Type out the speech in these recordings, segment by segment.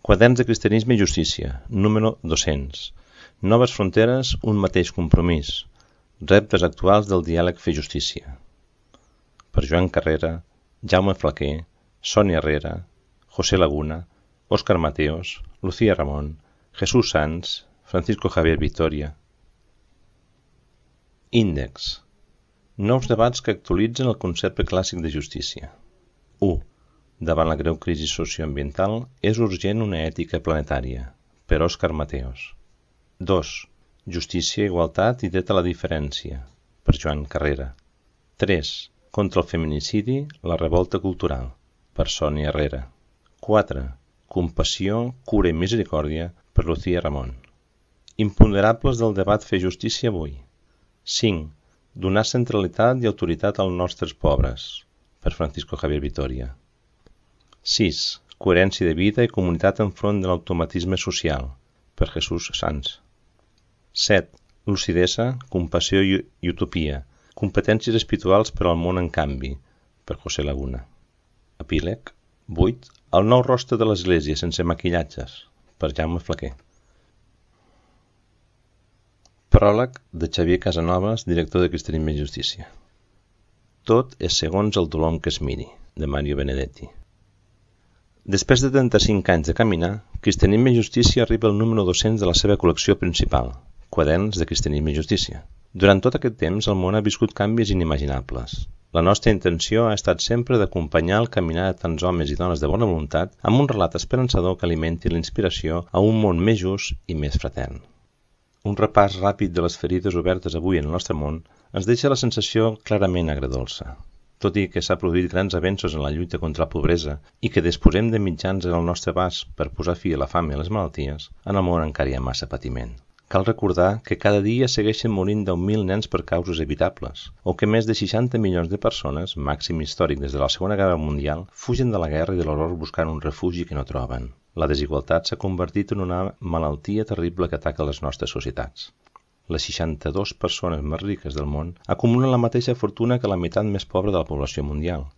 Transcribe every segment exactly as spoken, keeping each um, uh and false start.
Quaderns de Cristianisme i Justícia, número dos-cents. Noves fronteres, un mateix compromís. Reptes actuals del diàleg Fer Justícia. Per Joan Carrera, Jaume Flaquer, Sònia Herrera, José Laguna, Óscar Mateos, Lucía Ramón, Jesús Sanz, Francisco Javier Victoria. Índex. Nous debats que actualitzen el concepte clàssic de justícia. u. Davant la greu crisi socioambiental, és urgent una ètica planetària, per Óscar Mateos. dos. Justícia, igualtat i dret a la diferència, per Joan Carrera. tres. Contra el feminicidi, la revolta cultural, per Sònia Herrera. quatre. Compassió, cura i misericòrdia, per Lucía Ramón. Imponderables del debat Fer Justícia avui. cinc. Donar centralitat i autoritat als nostres pobres, per Francisco Javier Victoria. sis. Coherència de vida i comunitat enfront de l'automatisme social, per Jesús Sanz. set. Lucidesa, compassió i, i utopia, competències espirituals per al món en canvi, per José Laguna. Epíleg. vuit. El nou rostre de l'Església sense maquillatges, per Jaume Flaquer. Pròleg de Xavier Casanovas, director de Cristianisme i Justícia. Tot és segons el dolor que es miri, de Mario Benedetti. Després de trenta-cinc anys de caminar, Cristianisme i Justícia arriba al número dos-cents de la seva col·lecció principal, Quaderns de Cristianisme i Justícia. Durant tot aquest temps, el món ha viscut canvis inimaginables. La nostra intenció ha estat sempre d'acompanyar el caminar de tants homes i dones de bona voluntat amb un relat esperançador que alimenti l'inspiració a un món més just i més fratern. Un repàs ràpid de les ferides obertes avui en el nostre món ens deixa la sensació clarament agredolça. Tot i que s'ha produït grans avenços en la lluita contra la pobresa i que disposem de mitjans en el nostre abast per posar fi a la fam i a les malalties, en el món encara hi ha massa patiment. Cal recordar que cada dia segueixen morint deu mil nens per causes evitables, o que més de seixanta milions de persones, màxim històric des de la Segona Guerra Mundial, fugen de la guerra i de l'horror buscant un refugi que no troben. La desigualtat s'ha convertit en una malaltia terrible que ataca les nostres societats. Les seixanta-dues persones més riques del món acumulen la mateixa fortuna que la meitat més pobra de la població mundial,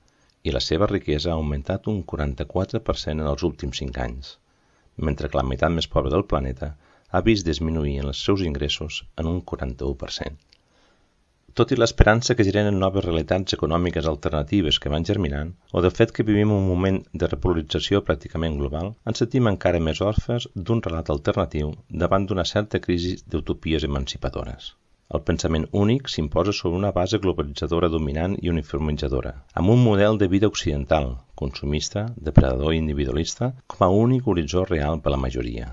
i la seva riquesa ha augmentat un quaranta-quatre per cent en els últims cinc anys, mentre que la meitat més pobra del planeta ha vist disminuir els seus ingressos en un quaranta-u per cent. Tot i l'esperança que generen noves realitats econòmiques alternatives que van germinant, o del fet que vivim un moment de repolarització pràcticament global, ens sentim encara més orfes d'un relat alternatiu davant d'una certa crisi d'utopies emancipadores. El pensament únic s'imposa sobre una base globalitzadora dominant i uniformitzadora, amb un model de vida occidental, consumista, depredador i individualista, com a únic horitzó real per a la majoria.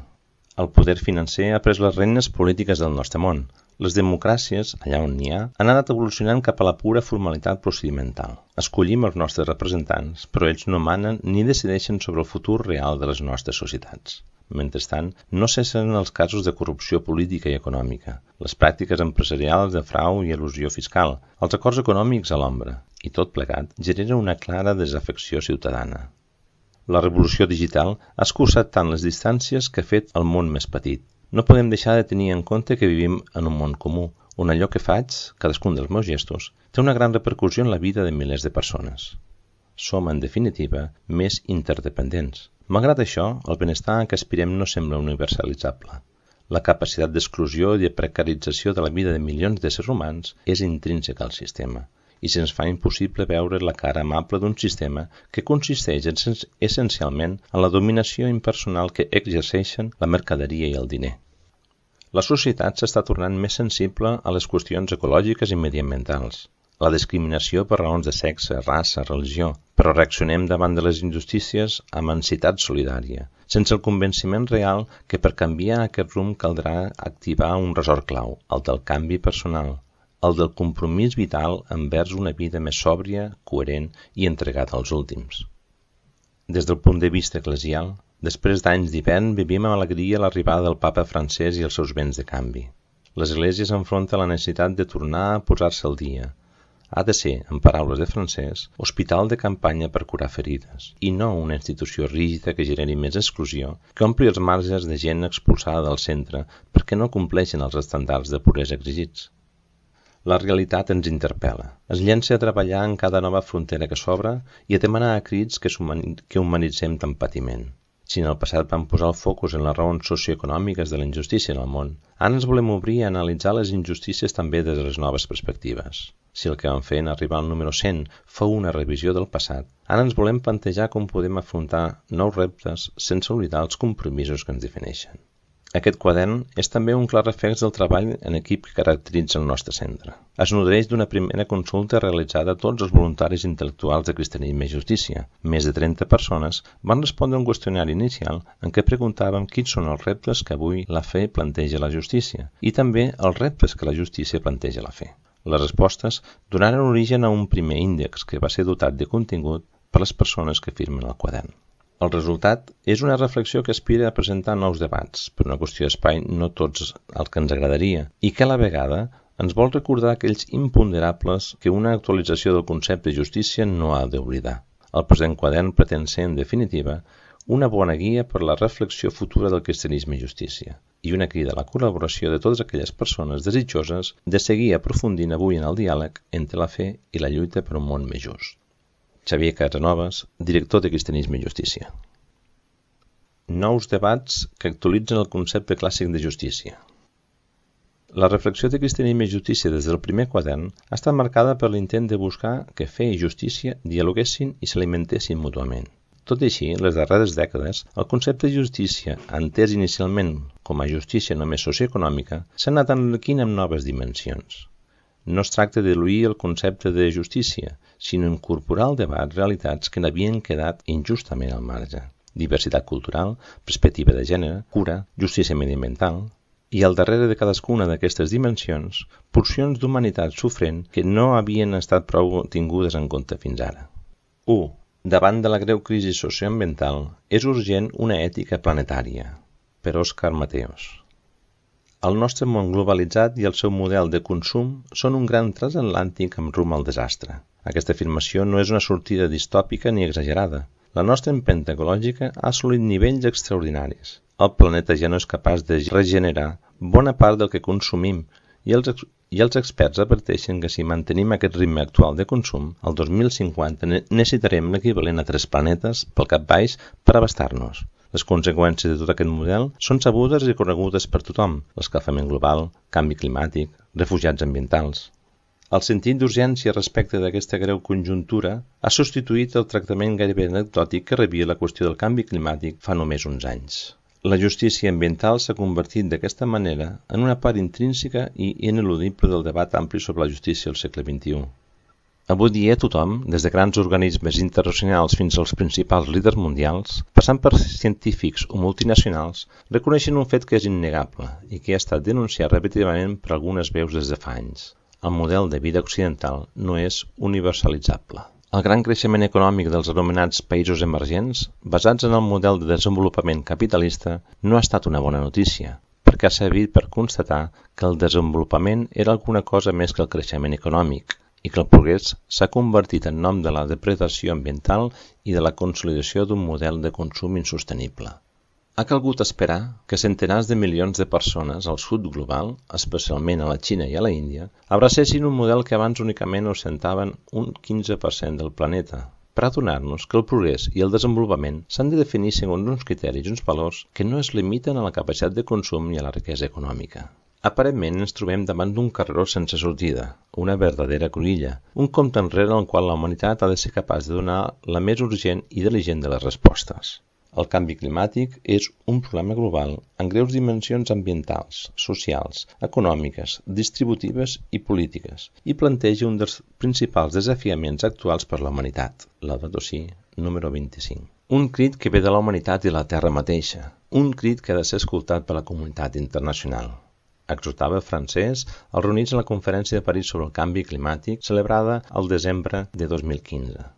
El poder financer ha pres les regnes polítiques del nostre món. Les democràcies, allà on n'hi ha, han anat evolucionant cap a la pura formalitat procedimental. Escollim els nostres representants, però ells no manen ni decideixen sobre el futur real de les nostres societats. Mentrestant, no cessen els casos de corrupció política i econòmica, les pràctiques empresarials de frau i elusió fiscal, els acords econòmics a l'ombra, i tot plegat genera una clara desafecció ciutadana. La revolució digital ha escurçat tant les distàncies que ha fet el món més petit. No podem deixar de tenir en compte que vivim en un món comú, on allò que faig, cadascun dels meus gestos, té una gran repercussió en la vida de milers de persones. Som, en definitiva, més interdependents. Malgrat això, el benestar a què aspirem no sembla universalitzable. La capacitat d'exclusió i de precarització de la vida de milions d'éssers humans és intrínseca al sistema, i se'ns fa impossible veure la cara amable d'un sistema que consisteix essencialment en la dominació impersonal que exerceixen la mercaderia i el diner. La societat s'està tornant més sensible a les qüestions ecològiques i mediambientals, la discriminació per raons de sexe, raça, religió, però reaccionem davant de les injustícies amb ansietat solidària, sense el convenciment real que per canviar aquest rumb caldrà activar un ressort clau, el del canvi personal, el del compromís vital envers una vida més sòbria, coherent i entregada als últims. Des del punt de vista eclesial, després d'anys d'hivern vivim amb alegria l'arribada del papa francès i els seus vents de canvi. L'Església s'enfronta a la necessitat de tornar a posar-se al dia. Ha de ser, en paraules de Francès, hospital de campanya per curar ferides, i no una institució rígida que generi més exclusió, que ompli els marges de gent expulsada del centre perquè no compleixen els estàndards de puresa exigits. La realitat ens interpel·la. Es llença a treballar en cada nova frontera que s'obre i a demanar a crits que, que humanitzem tant patiment. Si en el passat vam posar el focus en les raons socioeconòmiques de la injustícia en el món, ara ens volem obrir a analitzar les injustícies també des de les noves perspectives. Si el que vam fer en arribar al número cent fou una revisió del passat, ara ens volem plantejar com podem afrontar nous reptes sense oblidar els compromisos que ens defineixen. Aquest quadern és també un clar reflex del treball en equip que caracteritza el nostre centre. Es nodreix d'una primera consulta realitzada a tots els voluntaris intel·lectuals de Cristianisme i Justícia. Més de trenta persones van respondre a un qüestionari inicial en què preguntàvem quins són els reptes que avui la fe planteja a la justícia i també els reptes que la justícia planteja a la fe. Les respostes donaren origen a un primer índex que va ser dotat de contingut per les persones que firmen el quadern. El resultat és una reflexió que aspira a presentar nous debats, per una qüestió d'espai no tots els que ens agradaria, i que a la vegada ens vol recordar aquells imponderables que una actualització del concepte de justícia no ha d'oblidar. El present quadern pretén ser, en definitiva, una bona guia per a la reflexió futura del cristianisme i justícia, i una crida a la col·laboració de totes aquelles persones desitjoses de seguir aprofundint avui en el diàleg entre la fe i la lluita per un món més just. Xavier Casanovas, director de Cristianisme i Justícia. Nous debats que actualitzen el concepte clàssic de justícia. La reflexió de Cristianisme i Justícia des del primer quadern ha estat marcada per l'intent de buscar que fe i justícia dialoguessin i s'alimentessin mútuament. Tot i així, les darreres dècades, el concepte de justícia, entès inicialment com a justícia només socioeconòmica, s'ha anat enriquint amb noves dimensions. No es tracta de diluir el concepte de justícia, sinó incorporar al debat realitats que n'havien quedat injustament al marge. Diversitat cultural, perspectiva de gènere, cura, justícia mediambiental, i al darrere de cadascuna d'aquestes dimensions, porcions d'humanitat sofrent que no havien estat prou tingudes en compte fins ara. u. Davant de la greu crisi socioambiental, és urgent una ètica planetària, per Òscar Mateos. El nostre món globalitzat i el seu model de consum són un gran transatlàntic amb rumb al desastre. Aquesta afirmació no és una sortida distòpica ni exagerada. La nostra empenta ecològica ha assolit nivells extraordinaris. El planeta ja no és capaç de regenerar bona part del que consumim i els, i els experts adverteixen que si mantenim aquest ritme actual de consum, el dos mil cinquanta necessitarem l'equivalent a tres planetes pel cap baix per abastar-nos. Les conseqüències de tot aquest model són sabudes i conegudes per tothom: l'escalfament global, canvi climàtic, refugiats ambientals. El sentit d'urgència respecte d'aquesta greu conjuntura ha substituït el tractament gairebé anecdòtic que rebia la qüestió del canvi climàtic fa només uns anys. La justícia ambiental s'ha convertit d'aquesta manera en una part intrínseca i ineludible del debat ampli sobre la justícia al segle vint-i-u. Avui dia tothom, des de grans organismes internacionals fins als principals líders mundials, passant per científics o multinacionals, reconeixen un fet que és innegable i que ha estat denunciat repetidament per algunes veus des de fa anys. El model de vida occidental no és universalitzable. El gran creixement econòmic dels anomenats països emergents, basats en el model de desenvolupament capitalista, no ha estat una bona notícia, perquè ha servit per constatar que el desenvolupament era alguna cosa més que el creixement econòmic, i que el progrés s'ha convertit en nom de la depredació ambiental i de la consolidació d'un model de consum insostenible. Ha calgut esperar que centenars de milions de persones al sud global, especialment a la Xina i a la Índia, abracessin un model que abans únicament ostentaven un quinze per cent del planeta, per adonar-nos que el progrés i el desenvolupament s'han de definir segons uns criteris i uns valors que no es limiten a la capacitat de consum i a la riquesa econòmica. Aparentment ens trobem davant d'un carreró sense sortida, una verdadera cruïlla, un compte enrere en el qual la humanitat ha de ser capaç de donar la més urgent i diligent de les respostes. El canvi climàtic és un problema global amb greus dimensions ambientals, socials, econòmiques, distributives i polítiques i planteja un dels principals desafiaments actuals per la humanitat, Laudato Si, número vint-i-cinc. Un crit que ve de la humanitat i la Terra mateixa, un crit que ha de ser escoltat per la comunitat internacional. Exhortava francès als reunits en la Conferència de París sobre el canvi climàtic celebrada el desembre de dos mil quinze.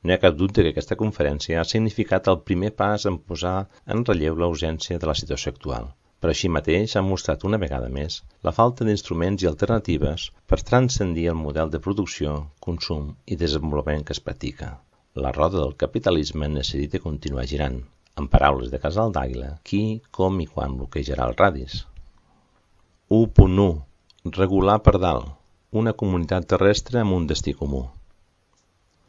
No hi ha cap dubte que aquesta conferència ha significat el primer pas en posar en relleu la urgència de la situació actual, però així mateix ha mostrat una vegada més la falta d'instruments i alternatives per transcendir el model de producció, consum i desenvolupament que es practica. La roda del capitalisme necessita continuar girant. En paraules de Casal d'Àguila, qui, com i quan bloquejarà el radis? u punt u. Regular per dalt. Una comunitat terrestre amb un destí comú.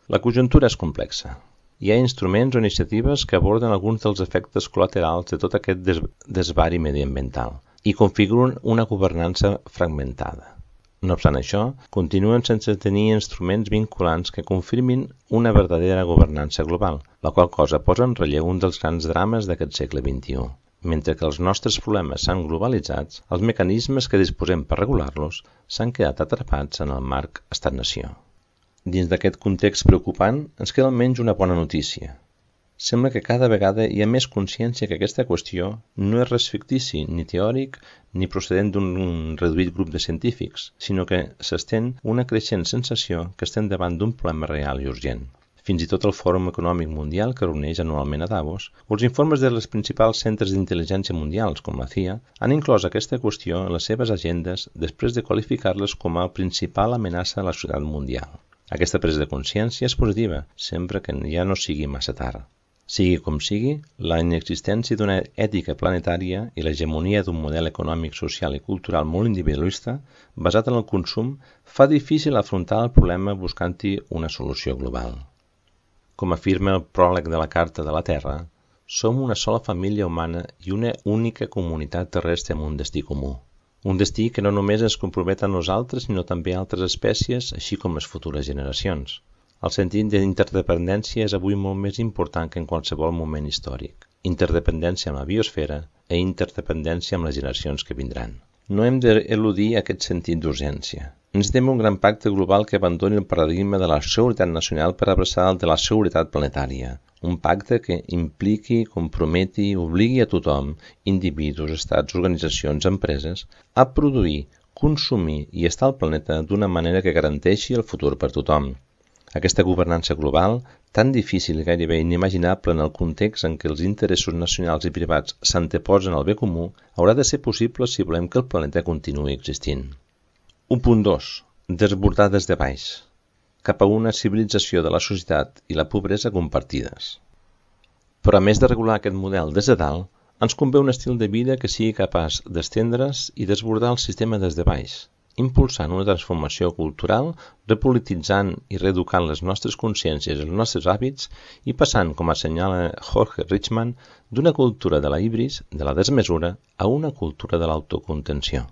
La conjuntura és complexa. hi ha instruments o iniciatives que aborden alguns dels efectes col·laterals de tot aquest des desvari mediambiental i configuren una governança fragmentada. No obstant això, continuen sense tenir instruments vinculants que confirmin una verdadera governança global, la qual cosa posa en relleu un dels grans drames d'aquest segle vint-i-u. Mentre que els nostres problemes s'han globalitzats, els mecanismes que disposem per regular-los s'han quedat atrapats en el marc estat-nació. Dins d'aquest context preocupant, ens queda almenys una bona notícia. Sembla que cada vegada hi ha més consciència que aquesta qüestió no és res fictici, ni teòric, ni procedent d'un reduït grup de científics, sinó que s'estén una creixent sensació que estem davant d'un problema real i urgent. Fins i tot el Fòrum Econòmic Mundial, que reuneix anualment a Davos, o els informes de les principals centres d'intel·ligència mundials, com la C I A, han inclòs aquesta qüestió en les seves agendes després de qualificar-les com a principal amenaça a la societat mundial. Aquesta presa de consciència és positiva, sempre que ja no sigui massa tard. Sigui com sigui, la inexistència d'una ètica planetària i l'hegemonia d'un model econòmic, social i cultural molt individualista, basat en el consum, fa difícil afrontar el problema buscant-hi una solució global. Com afirma el pròleg de la Carta de la Terra, som una sola família humana i una única comunitat terrestre amb un destí comú. Un destí que no només ens compromet a nosaltres, sinó també a altres espècies, així com les futures generacions. El sentit d'interdependència és avui molt més important que en qualsevol moment històric. Interdependència amb la biosfera i interdependència amb les generacions que vindran. No hem d'eludir aquest sentit d'urgència. Necessitem un gran pacte global que abandoni el paradigma de la seguretat nacional per abraçar el de la seguretat planetària. Un pacte que impliqui, comprometi i obligui a tothom, individus, estats, organitzacions, empreses, a produir, consumir i estar al planeta d'una manera que garanteixi el futur per tothom. Aquesta governança global, tan difícil i gairebé inimaginable en el context en què els interessos nacionals i privats s'anteposen al bé comú, haurà de ser possible si volem que el planeta continuï existint. un punt dos. Desbordar des de baix, cap a una civilització de la societat i la pobresa compartides. Però a més de regular aquest model des de dalt, ens convé un estil de vida que sigui capaç d'estendre's i desbordar el sistema des de baix, impulsant una transformació cultural, repolititzant i reeducant les nostres consciències i els nostres hàbits i passant, com assenyala Jorge Richman, d'una cultura de la híbris, de la desmesura, a una cultura de l'autocontenció.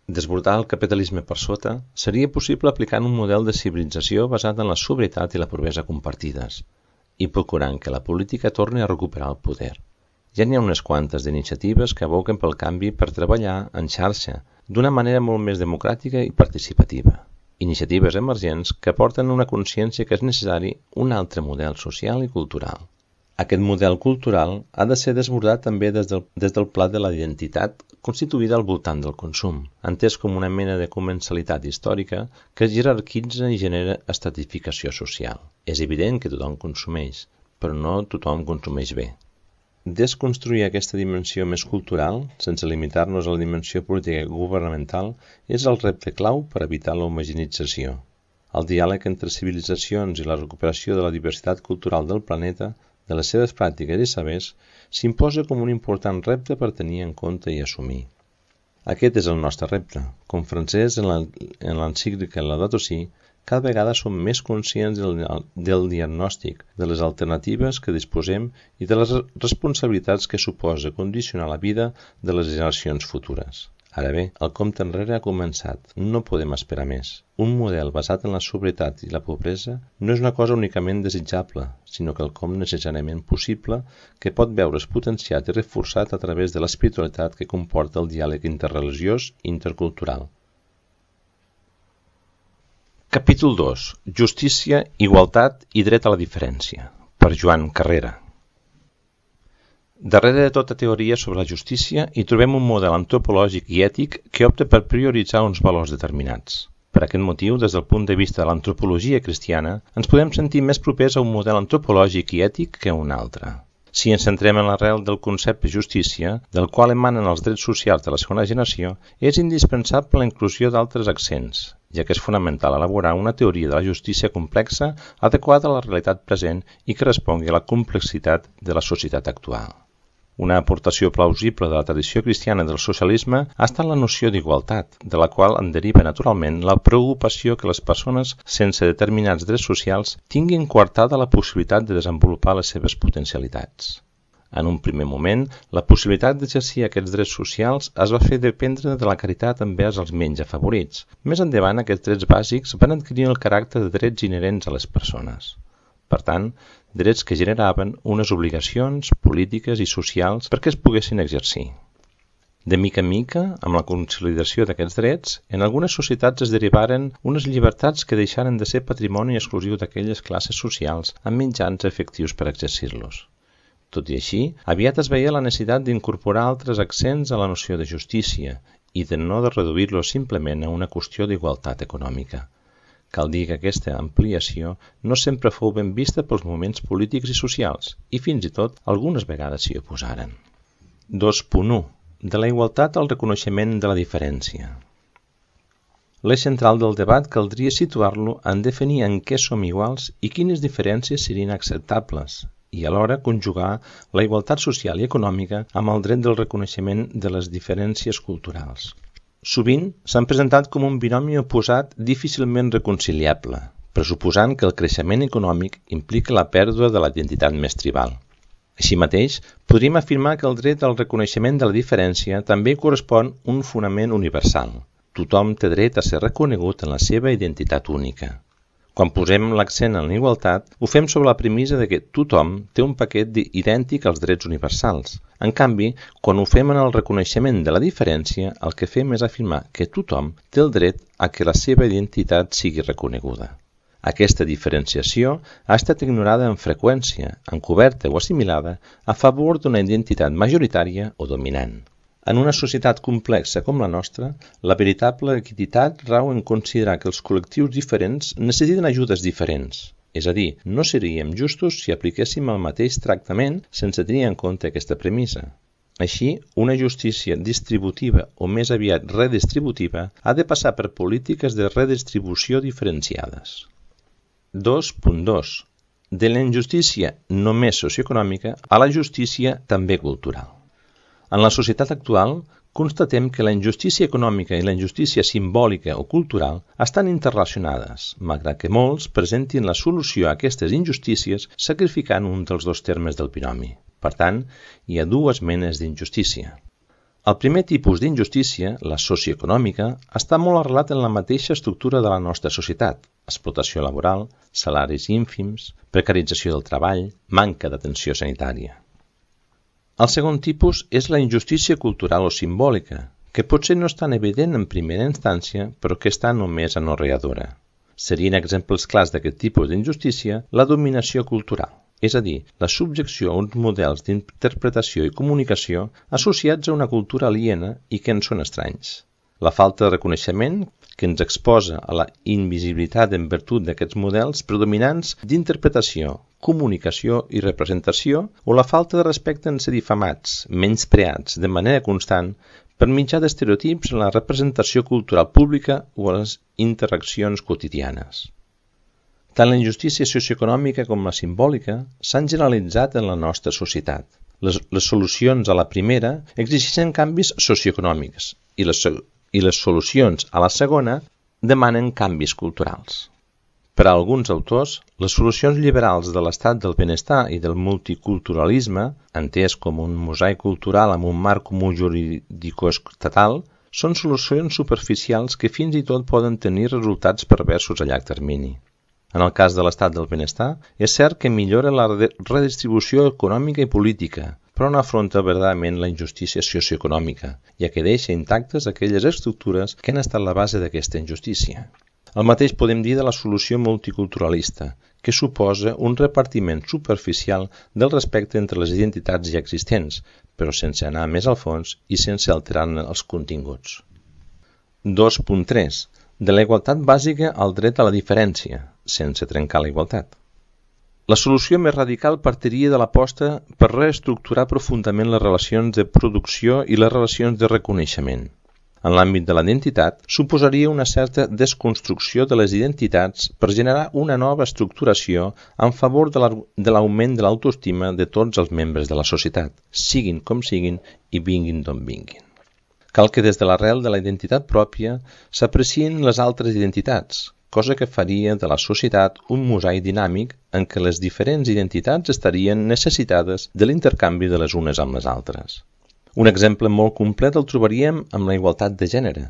Desbordar el capitalisme per sota seria possible aplicant un model de civilització basat en la sobrietat i la pobresa compartides i procurant que la política torni a recuperar el poder. Ja n'hi ha unes quantes d'iniciatives que aboquen pel canvi per treballar en xarxa d'una manera molt més democràtica i participativa. Iniciatives emergents que porten una consciència que és necessari un altre model social i cultural. Aquest model cultural ha de ser desbordat també des del, des del pla de la identitat constituïda al voltant del consum, entès com una mena de comensalitat històrica que jerarquitza i genera estratificació social. És evident que tothom consumeix, però no tothom consumeix bé. Desconstruir aquesta dimensió més cultural, sense limitar-nos a la dimensió política i governamental, és el repte clau per evitar l'homogeneïtzació. El diàleg entre civilitzacions i la recuperació de la diversitat cultural del planeta, de les seves pràctiques i sabers, s'imposa com un important repte per tenir en compte i assumir. Aquest és el nostre repte. Com francès en l'encíclica Laudato Si, cada vegada som més conscients del, del diagnòstic, de les alternatives que disposem i de les responsabilitats que suposa condicionar la vida de les generacions futures. Ara bé, el compte enrere ha començat. No podem esperar més. Un model basat en la sobrietat i la pobresa no és una cosa únicament desitjable, sinó que el com necessàriament possible que pot veure's potenciat i reforçat a través de l'espiritualitat que comporta el diàleg interreligiós i intercultural. Capítol dos. Justícia, igualtat i dret a la diferència. Per Joan Carrera. Darrere de tota teoria sobre la justícia hi trobem un model antropològic i ètic que opta per prioritzar uns valors determinats. Per aquest motiu, des del punt de vista de l'antropologia cristiana, ens podem sentir més propers a un model antropològic i ètic que a un altre. Si ens centrem en l'arrel del concepte justícia, del qual emanen els drets socials de la segona generació, és indispensable la inclusió d'altres accents, ja que és fonamental elaborar una teoria de la justícia complexa adequada a la realitat present i que respongui a la complexitat de la societat actual. Una aportació plausible de la tradició cristiana del socialisme ha estat la noció d'igualtat, de la qual en deriva naturalment la preocupació que les persones sense determinats drets socials tinguin coartada la possibilitat de desenvolupar les seves potencialitats. En un primer moment, la possibilitat d'exercir aquests drets socials es va fer dependre de la caritat envers els menys afavorits. Més endavant, aquests drets bàsics van adquirir el caràcter de drets inherents a les persones. Per tant, drets que generaven unes obligacions polítiques i socials perquè es poguessin exercir. De mica en mica, amb la consolidació d'aquests drets, en algunes societats es derivaren unes llibertats que deixaren de ser patrimoni exclusiu d'aquelles classes socials amb mitjans efectius per exercir-los. Tot i així, aviat es veia la necessitat d'incorporar altres accents a la noció de justícia i de no de reduir-lo simplement a una qüestió d'igualtat econòmica. Cal dir que aquesta ampliació no sempre fou ben vista pels moviments polítics i socials i fins i tot algunes vegades s'hi oposaren. dos punt u. De la igualtat al reconeixement de la diferència. L'eix central del debat caldria situar-lo en definir en què som iguals i quines diferències serien acceptables, i alhora conjugar la igualtat social i econòmica amb el dret del reconeixement de les diferències culturals. Sovint s'han presentat com un binomi oposat difícilment reconciliable, pressuposant que el creixement econòmic implica la pèrdua de la identitat més tribal. Així mateix, podríem afirmar que el dret al reconeixement de la diferència també correspon un fonament universal. Tothom té dret a ser reconegut en la seva identitat única. Quan posem l'accent en la igualtat, ho fem sobre la premissa de que tothom té un paquet idèntic als drets universals. En canvi, quan ho fem en el reconeixement de la diferència, el que fem és afirmar que tothom té el dret a que la seva identitat sigui reconeguda. Aquesta diferenciació ha estat ignorada amb freqüència, encoberta o assimilada, a favor d'una identitat majoritària o dominant. En una societat complexa com la nostra, la veritable equitat rau en considerar que els col·lectius diferents necessiten ajudes diferents. És a dir, no seríem justos si apliquéssim el mateix tractament sense tenir en compte aquesta premissa. Així, una justícia distributiva o més aviat redistributiva ha de passar per polítiques de redistribució diferenciades. dos punt dos. De la injustícia només socioeconòmica a la justícia també cultural. En la societat actual, constatem que la injustícia econòmica i la injustícia simbòlica o cultural estan interrelacionades, malgrat que molts presentin la solució a aquestes injustícies sacrificant un dels dos termes del binomi. Per tant, hi ha dues menes d'injustícia. El primer tipus d'injustícia, la socioeconòmica, està molt arrelat en la mateixa estructura de la nostra societat: explotació laboral, salaris ínfims, precarització del treball, manca d'atenció sanitària. El segon tipus és la injustícia cultural o simbòlica, que potser no és tan evident en primera instància, però que està només anorreadora. Serien exemples clars d'aquest tipus d'injustícia la dominació cultural, és a dir, la subjecció a uns models d'interpretació i comunicació associats a una cultura aliena i que ens són estranys. La falta de reconeixement que ens exposa a la invisibilitat en virtut d'aquests models predominants d'interpretació, comunicació i representació, o la falta de respecte en ser difamats, menyspreats de manera constant per mitjà d'estereotips en la representació cultural pública o a les interaccions quotidianes. Tant la injustícia socioeconòmica com la simbòlica s'han generalitzat en la nostra societat. Les, les solucions a la primera exigeixen canvis socioeconòmics i les, i les solucions a la segona demanen canvis culturals. Per a alguns autors, les solucions liberals de l'estat del benestar i del multiculturalisme, entès com un mosaic cultural amb un marc comú jurídico-estatal, són solucions superficials que fins i tot poden tenir resultats perversos a llarg termini. En el cas de l'estat del benestar, és cert que millora la redistribució econòmica i política, però no afronta verdaderament la injustícia socioeconòmica, ja que deixa intactes aquelles estructures que han estat la base d'aquesta injustícia. El mateix podem dir de la solució multiculturalista, que suposa un repartiment superficial del respecte entre les identitats ja existents, però sense anar més al fons i sense alterar-ne els continguts. dos punt tres. De la igualtat bàsica al dret a la diferència, sense trencar la igualtat. La solució més radical partiria de l'aposta per reestructurar profundament les relacions de producció i les relacions de reconeixement. En l'àmbit de la identitat, suposaria una certa desconstrucció de les identitats per generar una nova estructuració en favor de l'augment de l'autoestima de tots els membres de la societat, siguin com siguin i vinguin d'on vinguin. Cal que des de l'arrel de la identitat pròpia s'aprecien les altres identitats, cosa que faria de la societat un mosaic dinàmic en què les diferents identitats estarien necessitades de l'intercanvi de les unes amb les altres. Un exemple molt complet el trobaríem amb la igualtat de gènere,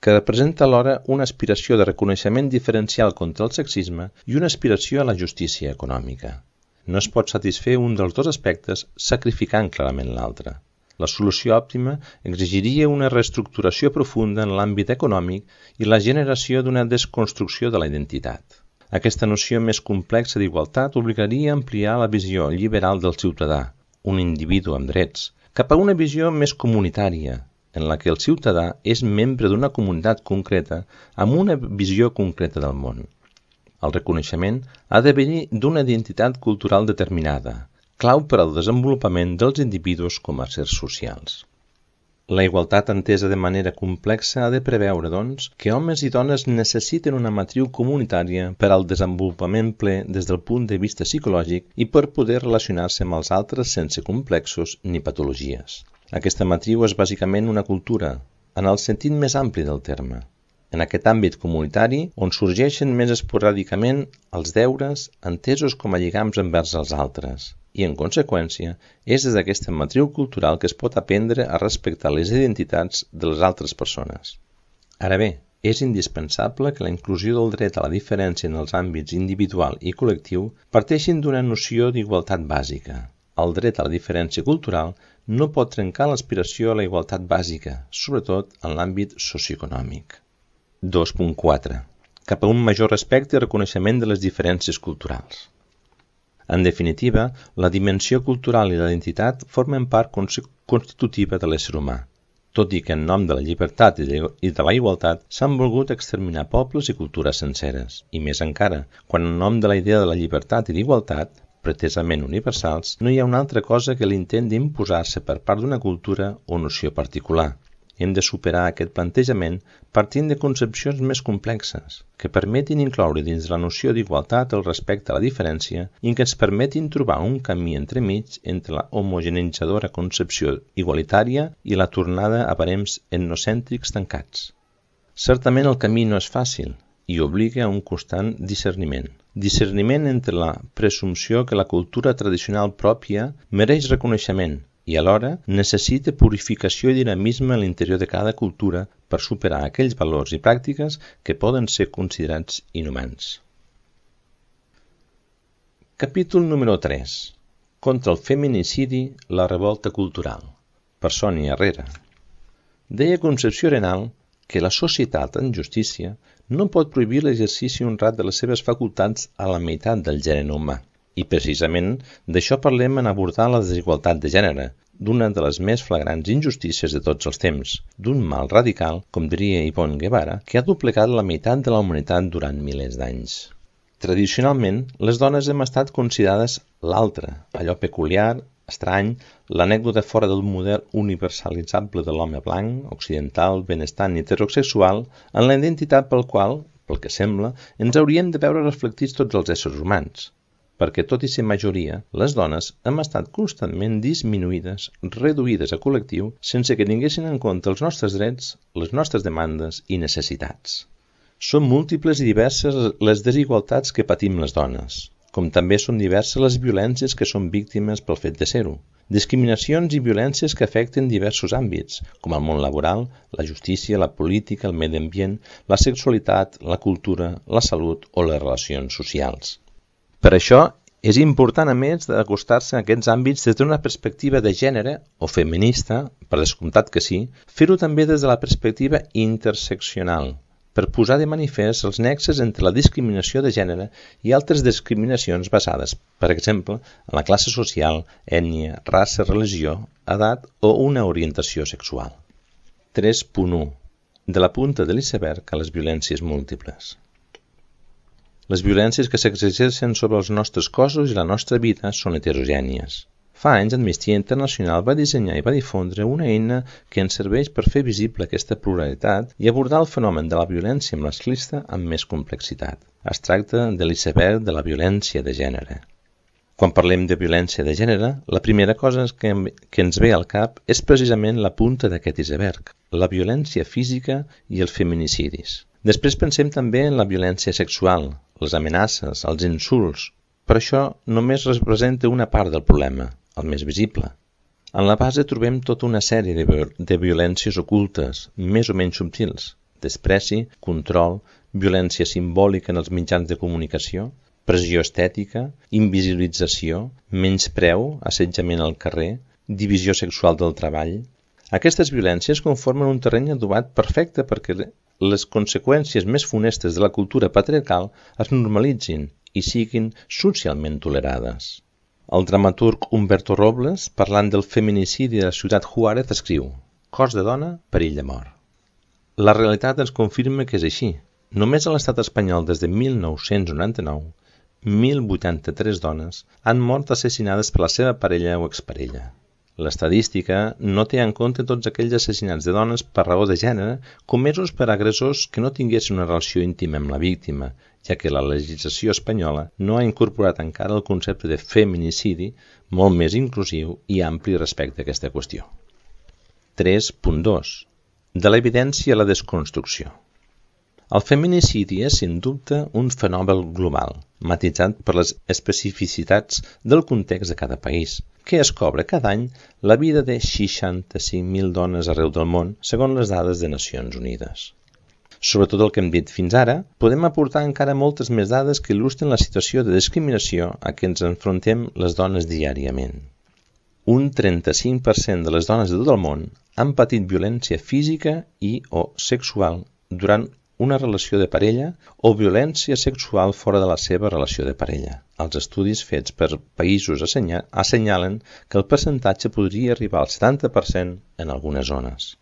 que representa alhora una aspiració de reconeixement diferencial contra el sexisme i una aspiració a la justícia econòmica. No es pot satisfer un dels dos aspectes sacrificant clarament l'altre. La solució òptima exigiria una reestructuració profunda en l'àmbit econòmic i la generació d'una desconstrucció de la identitat. Aquesta noció més complexa d'igualtat obligaria a ampliar la visió liberal del ciutadà, un individu amb drets, cap a una visió més comunitària, en la que el ciutadà és membre d'una comunitat concreta amb una visió concreta del món. El reconeixement ha de venir d'una identitat cultural determinada, clau per al desenvolupament dels individus com a éssers socials. La igualtat entesa de manera complexa ha de preveure, doncs, que homes i dones necessiten una matriu comunitària per al desenvolupament ple des del punt de vista psicològic i per poder relacionar-se amb els altres sense complexos ni patologies. Aquesta matriu és bàsicament una cultura, en el sentit més ampli del terme. En aquest àmbit comunitari, on sorgeixen més esporàdicament els deures entesos com a lligams envers els altres, i, en conseqüència, és des d'aquesta matriu cultural que es pot aprendre a respectar les identitats de les altres persones. Ara bé, és indispensable que la inclusió del dret a la diferència en els àmbits individual i col·lectiu parteixin d'una noció d'igualtat bàsica. El dret a la diferència cultural no pot trencar l'aspiració a la igualtat bàsica, sobretot en l'àmbit socioeconòmic. dos punt quatre. Cap a un major respecte i reconeixement de les diferències culturals. En definitiva, la dimensió cultural i la identitat formen part constitutiva de l'ésser humà, tot i que en nom de la llibertat i de la igualtat s'han volgut exterminar pobles i cultures senceres, i més encara, quan en nom de la idea de la llibertat i d'igualtat, pretesament universals, no hi ha una altra cosa que l'intent d'imposar-se per part d'una cultura o noció particular. Hem de superar aquest plantejament partint de concepcions més complexes, que permetin incloure dins la noció d'igualtat el respecte a la diferència i que ens permetin trobar un camí entremig entre la homogeneitzadora concepció igualitària i la tornada a barems etnocèntrics tancats. Certament el camí no és fàcil i obliga a un constant discerniment. Discerniment entre la presumpció que la cultura tradicional pròpia mereix reconeixement i alhora necessita purificació i dinamisme a l'interior de cada cultura per superar aquells valors i pràctiques que poden ser considerats inhumans. Capítol número tres. Contra el feminicidi, la revolta cultural. Per Sònia Herrera. Deia Concepció Arenal que la societat en justícia no pot prohibir l'exercici honrat de les seves facultats a la meitat del gènere humà. I precisament d'això parlem en abordar la desigualtat de gènere, d'una de les més flagrants injustícies de tots els temps, d'un mal radical, com diria Yvonne Guevara, que ha doblegat la meitat de la humanitat durant milers d'anys. Tradicionalment, les dones hem estat considerades l'altre, allò peculiar, estrany, l'anècdota fora del model universalitzable de l'home blanc, occidental, benestant i heterosexual, en la identitat pel qual, pel que sembla, ens hauríem de veure reflectits tots els éssers humans. Perquè tot i ser majoria, les dones hem estat constantment disminuïdes, reduïdes a col·lectiu, sense que tinguessin en compte els nostres drets, les nostres demandes i necessitats. Són múltiples i diverses les desigualtats que patim les dones, com també són diverses les violències que són víctimes pel fet de ser-ho. Discriminacions i violències que afecten diversos àmbits, com el món laboral, la justícia, la política, el medi ambient, la sexualitat, la cultura, la salut o les relacions socials. Per això, és important, a més, d'acostar-se a aquests àmbits des d'una perspectiva de gènere o feminista, per descomptat que sí, fer-ho també des de la perspectiva interseccional, per posar de manifest els nexes entre la discriminació de gènere i altres discriminacions basades, per exemple, en la classe social, ètnia, raça, religió, edat o una orientació sexual. tres punt u. De la punta de l'iceberg a les violències múltiples. Les violències que s'exerceixen sobre els nostres cossos i la nostra vida són heterogènies. Fa anys, Amnistia Internacional va dissenyar i va difondre una eina que ens serveix per fer visible aquesta pluralitat i abordar el fenomen de la violència masclista amb més complexitat. Es tracta de l'iceberg de la violència de gènere. Quan parlem de violència de gènere, la primera cosa que, que ens ve al cap és precisament la punta d'aquest iceberg, la violència física i els feminicidis. Després pensem també en la violència sexual, les amenaces, els insults, però això només representa una part del problema, el més visible. En la base trobem tota una sèrie de, viol de violències ocultes, més o menys subtils, despreci, control, violència simbòlica en els mitjans de comunicació, pressió estètica, invisibilització, menyspreu, assetjament al carrer, divisió sexual del treball. Aquestes violències conformen un terreny adobat perfecte perquè les conseqüències més funestes de la cultura patriarcal es normalitzin i siguin socialment tolerades. El dramaturg Humberto Robles, parlant del feminicidi de la ciutat Juárez, escriu: cos de dona, perill de mort. La realitat ens confirma que és així. Només a l'estat espanyol des de mil nou-cents noranta-nou, mil vuitanta-tres dones han mort assassinades per la seva parella o exparella. L'estadística no té en compte tots aquells assassinats de dones per raó de gènere comesos per agressors que no tinguessin una relació íntima amb la víctima, ja que la legislació espanyola no ha incorporat encara el concepte de feminicidi, molt més inclusiu i ampli respecte a aquesta qüestió. tres punt dos. De l'evidència a la desconstrucció. El feminicidi és, sin dubte, un fenomen global, matitzat per les especificitats del context de cada país, que es cobra cada any la vida de seixanta-cinc mil dones arreu del món, segons les dades de Nacions Unides. Sobretot el que hem dit fins ara, podem aportar encara moltes més dades que il·lustren la situació de discriminació a què ens enfrontem les dones diàriament. Un trenta-cinc per cent de les dones de tot el món han patit violència física i o sexual durant una relació de parella o violència sexual fora de la seva relació de parella. Els estudis fets per països assenyalen que el percentatge podria arribar al setanta per cent en algunes zones.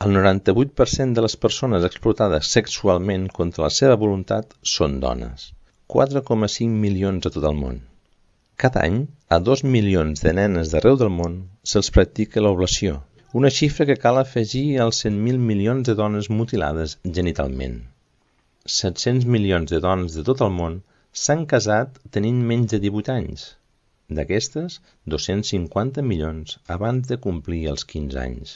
El noranta-vuit per cent de les persones explotades sexualment contra la seva voluntat són dones, quatre coma cinc milions a tot el món. Cada any, a dos milions de nenes d'arreu del món se'ls practica l'oblació, una xifra que cal afegir als cent mil milions de dones mutilades genitalment. set-cents milions de dones de tot el món s'han casat tenint menys de divuit anys. D'aquestes, dos-cents cinquanta milions abans de complir els quinze anys.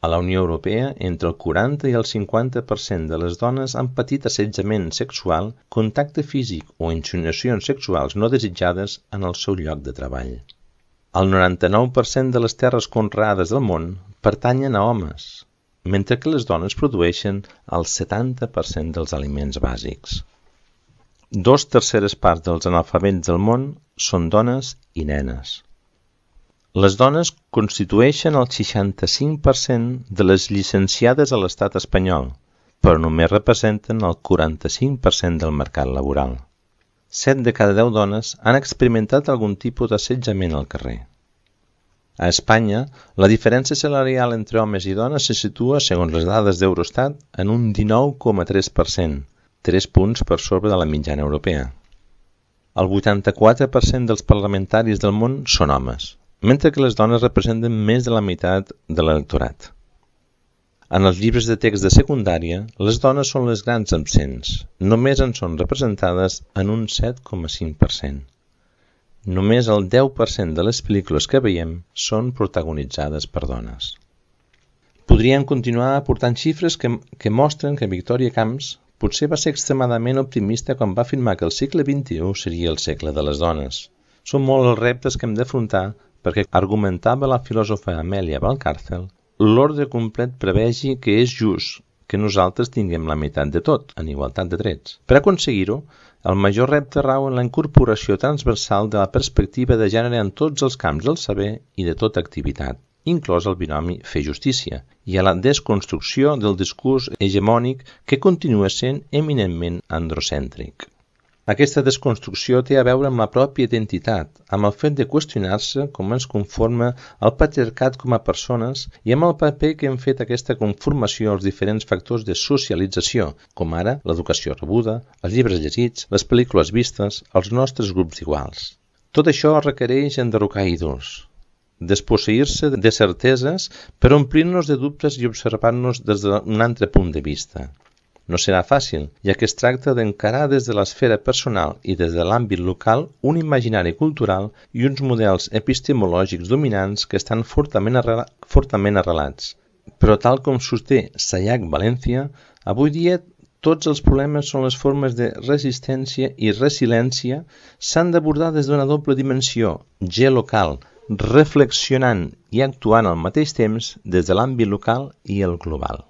A la Unió Europea, entre el quaranta i el cinquanta per cent de les dones han patit assetjament sexual, contacte físic o insinuacions sexuals no desitjades en el seu lloc de treball. El noranta-nou per cent de les terres conreades del món pertanyen a homes, mentre que les dones produeixen el setanta per cent dels aliments bàsics. Dos terceres parts dels analfabets del món són dones i nenes. Les dones constitueixen el seixanta-cinc per cent de les llicenciades a l'estat espanyol, però només representen el quaranta-cinc per cent del mercat laboral. set de cada deu dones han experimentat algun tipus d'assetjament al carrer. A Espanya, la diferència salarial entre homes i dones se situa, segons les dades d'Eurostat, en un dinou coma tres per cent, tres punts per sobre de la mitjana europea. El vuitanta-quatre per cent dels parlamentaris del món són homes, mentre que les dones representen més de la meitat de l'electorat. En els llibres de text de secundària, les dones són les grans absents, només en són representades en un set coma cinc per cent. Només el deu per cent de les pel·lícules que veiem són protagonitzades per dones. Podríem continuar aportant xifres que, que mostren que Victòria Camps potser va ser extremadament optimista quan va afirmar que el segle vint-i-u seria el segle de les dones. Són molts els reptes que hem d'afrontar perquè, argumentava la filòsofa Amèlia Valcárcel, l'ordre complet prevegi que és just que nosaltres tinguem la meitat de tot, en igualtat de drets. Per aconseguir-ho, el major repte rau en la incorporació transversal de la perspectiva de gènere en tots els camps del saber i de tota activitat, inclòs el binomi fer justícia, i a la desconstrucció del discurs hegemònic que continua sent eminentment androcèntric. Aquesta desconstrucció té a veure amb la pròpia identitat, amb el fet de qüestionar-se com ens conforma el patriarcat com a persones i amb el paper que hem fet aquesta conformació als diferents factors de socialització, com ara l'educació rebuda, els llibres llegits, les pel·lícules vistes, els nostres grups d'iguals. Tot això requereix enderrocar ídols, desposseir-se de certeses per omplir-nos de dubtes i observar-nos des d'un altre punt de vista. No serà fàcil, ja que es tracta d'encarar des de l'esfera personal i des de l'àmbit local un imaginari cultural i uns models epistemològics dominants que estan fortament, arrela, fortament arrelats. Però tal com sosté Sayac València, avui dia tots els problemes són les formes de resistència i resiliència s'han d'abordar des d'una doble dimensió, geolocal, reflexionant i actuant al mateix temps des de l'àmbit local i el global.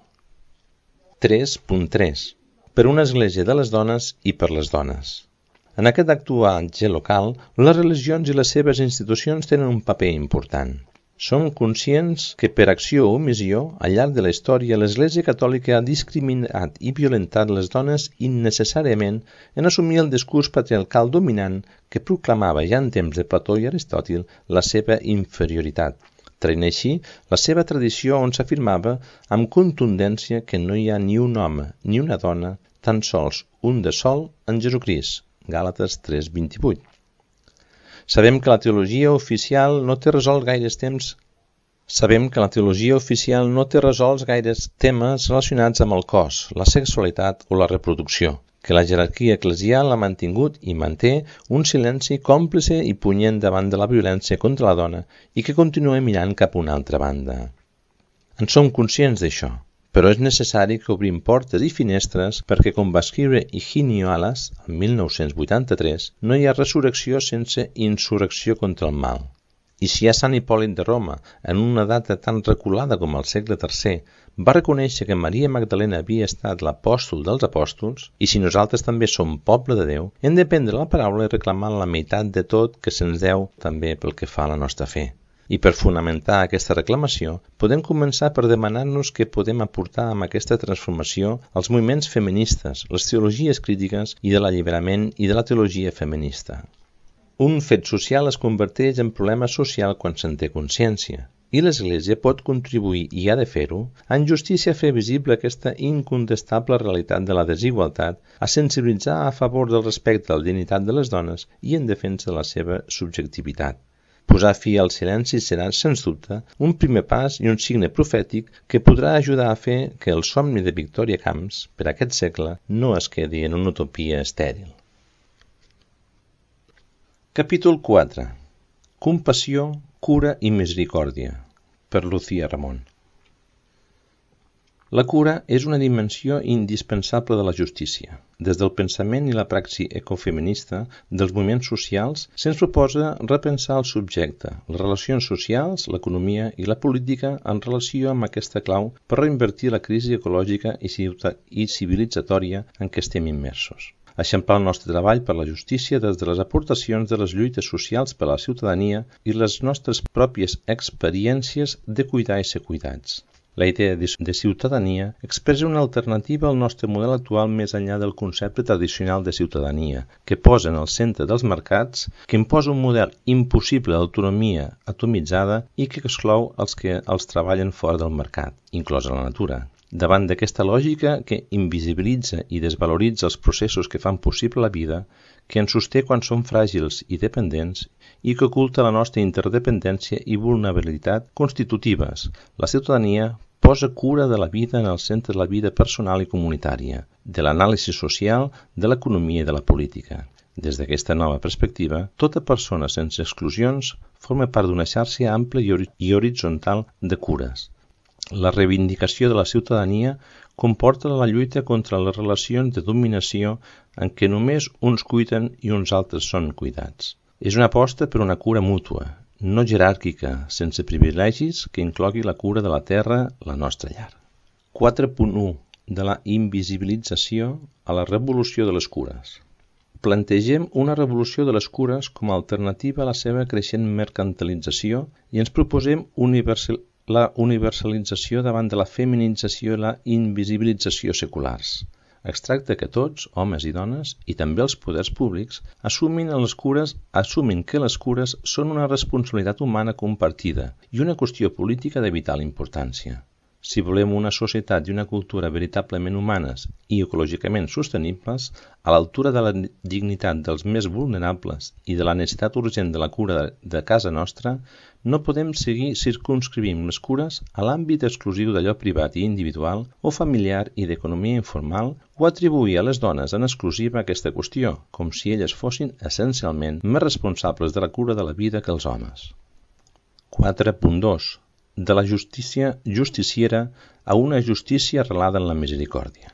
tres punt tres. Per una església de les dones i per les dones. En aquest actuatge local, les religions i les seves institucions tenen un paper important. Som conscients que per acció o omissió, al llarg de la història, l'Església Catòlica ha discriminat i violentat les dones innecessàriament en assumir el discurs patriarcal dominant que proclamava ja en temps de Plató i Aristòtil la seva inferioritat, traient així la seva tradició on s'afirmava amb contundència que no hi ha ni un home ni una dona, tan sols un de sol en Jesucrist, Gàlates tres vint-i-vuit. Sabem que la teologia oficial no té resolt gaires temps Sabem que la teologia oficial no té resolts gaires temes relacionats amb el cos, la sexualitat o la reproducció, que la jerarquia eclesial ha mantingut i manté un silenci còmplice i punyent davant de la violència contra la dona i que continua mirant cap a una altra banda. En som conscients d'això, però és necessari que obrim portes i finestres perquè, com va escriure Higinio Alas, el mil nou-cents vuitanta-tres, no hi ha resurrecció sense insurrecció contra el mal. I si ja Sant Hipòlit de Roma, en una data tan reculada com el segle tercer, va reconèixer que Maria Magdalena havia estat l'apòstol dels apòstols, i si nosaltres també som poble de Déu, hem de prendre la paraula i reclamar la meitat de tot que se'ns deu també pel que fa a la nostra fe. I per fonamentar aquesta reclamació, podem començar per demanar-nos què podem aportar amb aquesta transformació als moviments feministes, les teologies crítiques i de l'alliberament i de la teologia feminista. Un fet social es converteix en problema social quan se'n té consciència, i l'Església pot contribuir, i ha de fer-ho, en justícia a fer visible aquesta incontestable realitat de la desigualtat, a sensibilitzar a favor del respecte a la dignitat de les dones i en defensa de la seva subjectivitat. Posar fi al silenci serà, sens dubte, un primer pas i un signe profètic que podrà ajudar a fer que el somni de Victòria Camps, per aquest segle, no es quedi en una utopia estèril. Capítol quatre. Compassió, cura i misericòrdia, per Lucía Ramón. La cura és una dimensió indispensable de la justícia. Des del pensament i la praxi ecofeminista dels moviments socials se'ns proposa repensar el subjecte, les relacions socials, l'economia i la política en relació amb aquesta clau per reinvertir la crisi ecològica i civilitzatòria en què estem immersos. Eixamplar el nostre treball per la justícia des de les aportacions de les lluites socials per a la ciutadania i les nostres pròpies experiències de cuidar i ser cuidats. La idea de ciutadania expressa una alternativa al nostre model actual més enllà del concepte tradicional de ciutadania, que posa en el centre dels mercats, que imposa un model impossible d'autonomia atomitzada i que exclou els que els treballen fora del mercat, inclosa la natura. Davant d'aquesta lògica que invisibilitza i desvaloritza els processos que fan possible la vida, que ens sosté quan som fràgils i dependents i que oculta la nostra interdependència i vulnerabilitat constitutives, la ciutadania posa cura de la vida en el centre de la vida personal i comunitària, de l'anàlisi social, de l'economia i de la política. Des d'aquesta nova perspectiva, tota persona sense exclusions forma part d'una xarxa ampla i horitzontal de cures. La reivindicació de la ciutadania comporta la lluita contra les relacions de dominació en què només uns cuiden i uns altres són cuidats. És una aposta per una cura mútua, no jeràrquica, sense privilegis, que inclogui la cura de la terra, la nostra llar. quatre punt u. De la invisibilització a la revolució de les cures. Plantegem una revolució de les cures com a alternativa a la seva creixent mercantilització i ens proposem universal la universalització davant de la feminització i la invisibilització seculars. Es tracta que tots, homes i dones, i també els poders públics, assumin, les cures, assumin que les cures són una responsabilitat humana compartida i una qüestió política de vital importància. Si volem una societat i una cultura veritablement humanes i ecològicament sostenibles, a l'altura de la dignitat dels més vulnerables i de la necessitat urgent de la cura de casa nostra, no podem seguir circumscrivint les cures a l'àmbit exclusiu d'allò privat i individual o familiar i d'economia informal o atribuir a les dones en exclusiva aquesta qüestió, com si elles fossin essencialment més responsables de la cura de la vida que els homes. quatre punt dos. De la justícia justiciera a una justícia arrelada en la misericòrdia.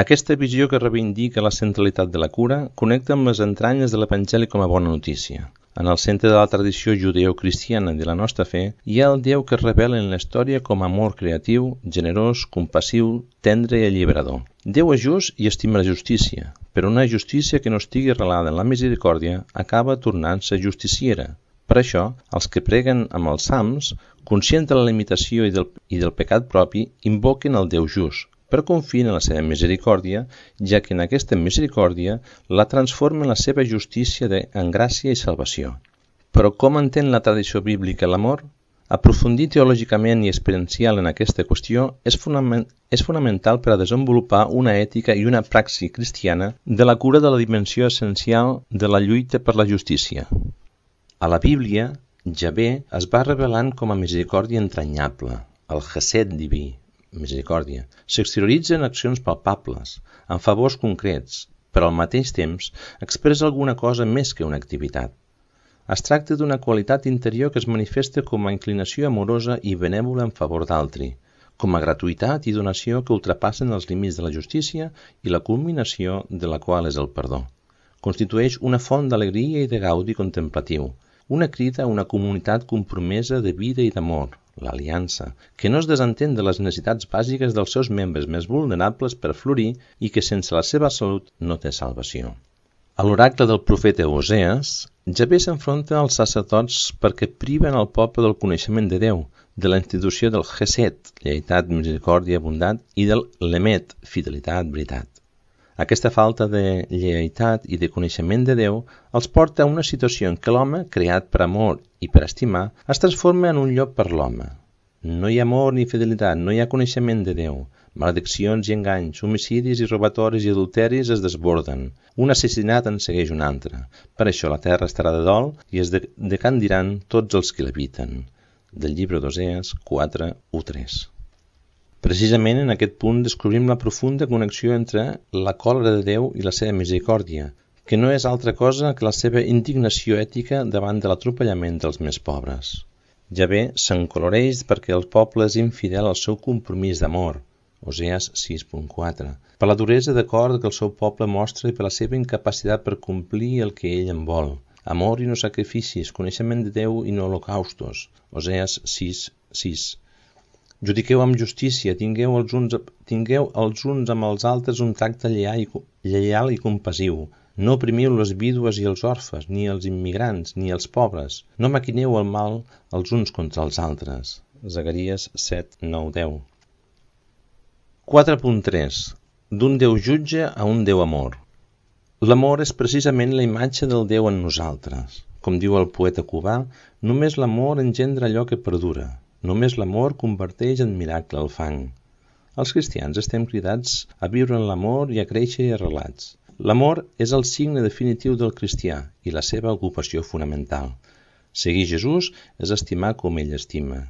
Aquesta visió que reivindica la centralitat de la cura connecta amb les entranyes de l'Evangeli com a bona notícia. En el centre de la tradició judeocristiana de la nostra fe hi ha el Déu que es revela en la història com a amor creatiu, generós, compassiu, tendre i alliberador. Déu és just i estima la justícia, però una justícia que no estigui arrelada en la misericòrdia acaba tornant-se justiciera. Per això, els que preguen amb els salms, conscients de la limitació i del, i del pecat propi, invoquen el Déu just, però confien en la seva misericòrdia, ja que en aquesta misericòrdia la transforma en la seva justícia de, en gràcia i salvació. Però com entén la tradició bíblica l'amor? Aprofundir teològicament i experiencial en aquesta qüestió és, fonament, és fonamental per a desenvolupar una ètica i una praxi cristiana de la cura de la dimensió essencial de la lluita per la justícia. A la Bíblia, Javé es va revelant com a misericòrdia entranyable, el Gesed diví, misericòrdia. S'exterioritza en accions palpables, en favors concrets, però al mateix temps expressa alguna cosa més que una activitat. Es tracta d'una qualitat interior que es manifesta com a inclinació amorosa i benèvola en favor d'altri, com a gratuïtat i donació que ultrapassen els límits de la justícia i la culminació de la qual és el perdó. Constitueix una font d'alegria i de gaudi contemplatiu, una crida a una comunitat compromesa de vida i d'amor, l'aliança, que no es desentén de les necessitats bàsiques dels seus membres més vulnerables per florir i que sense la seva salut no té salvació. A l'oracle del profeta Osees, Javé s'enfronta als sacerdots perquè priven el poble del coneixement de Déu, de la institució del Gesed, lleialtat, misericòrdia, bondat, i del Lemet, fidelitat, veritat. Aquesta falta de lleialtat i de coneixement de Déu els porta a una situació en què l'home, creat per amor i per estimar, es transforma en un llop per l'home. No hi ha amor ni fidelitat, no hi ha coneixement de Déu. Malediccions i enganys, homicidis i robatoris i adulteris es desborden. Un assassinat en segueix un altre. Per això la terra estarà de dol i es decandiran tots els que l'habiten. Del llibre d'Osees quatre, u tres. Precisament en aquest punt descobrim la profunda connexió entre la còlera de Déu i la seva misericòrdia, que no és altra cosa que la seva indignació ètica davant de l'atropellament dels més pobres. Javé s'encoloreix perquè el poble és infidel al seu compromís d'amor, Osees sis punt quatre, per la duresa de cor que el seu poble mostra i per la seva incapacitat per complir el que ell en vol. Amor i no sacrificis, coneixement de Déu i no holocaustos, Osees sis, sis. Judiqueu amb justícia, tingueu els, uns, tingueu els uns amb els altres un tracte lleial i, lleial i compassiu. No oprimiu les vídues i els orfes, ni els immigrants, ni els pobres. No maquineu el mal els uns contra els altres. Zacaries set, nou, deu. quatre punt tres. D'un Déu jutge a un Déu amor. L'amor és precisament la imatge del Déu en nosaltres. Com diu el poeta cubà, només l'amor engendra allò que perdura. Només l'amor converteix en miracle el fang. Els cristians estem cridats a viure en l'amor i a créixer arrelats. L'amor és el signe definitiu del cristià i la seva ocupació fonamental. Seguir Jesús és estimar com ell estima.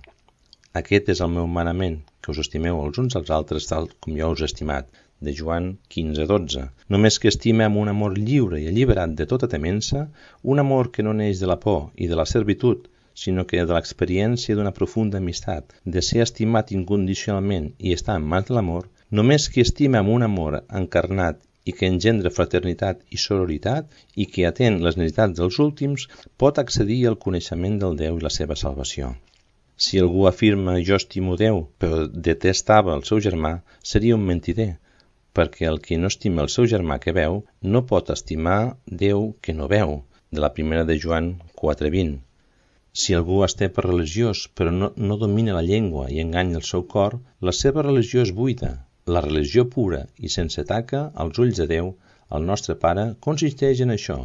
Aquest és el meu manament, que us estimeu els uns als altres tal com jo us he estimat, de Joan quinze, dotze. Només que estime amb un amor lliure i alliberat de tota temença, un amor que no neix de la por i de la servitud, sinó que de l'experiència d'una profunda amistat, de ser estimat incondicionalment i estar en mans de l'amor, només qui estima amb un amor encarnat i que engendra fraternitat i sororitat i que atén les necessitats dels últims, pot accedir al coneixement del Déu i la seva salvació. Si algú afirma jo estimo Déu, però detestava el seu germà, seria un mentider, perquè el que no estima el seu germà que veu, no pot estimar Déu que no veu, de la primera de Joan quatre, vint. Si algú es té per religiós, però no, no domina la llengua i enganya el seu cor, la seva religió és buida. La religió pura i sense taca als ulls de Déu, el nostre Pare, consisteix en això,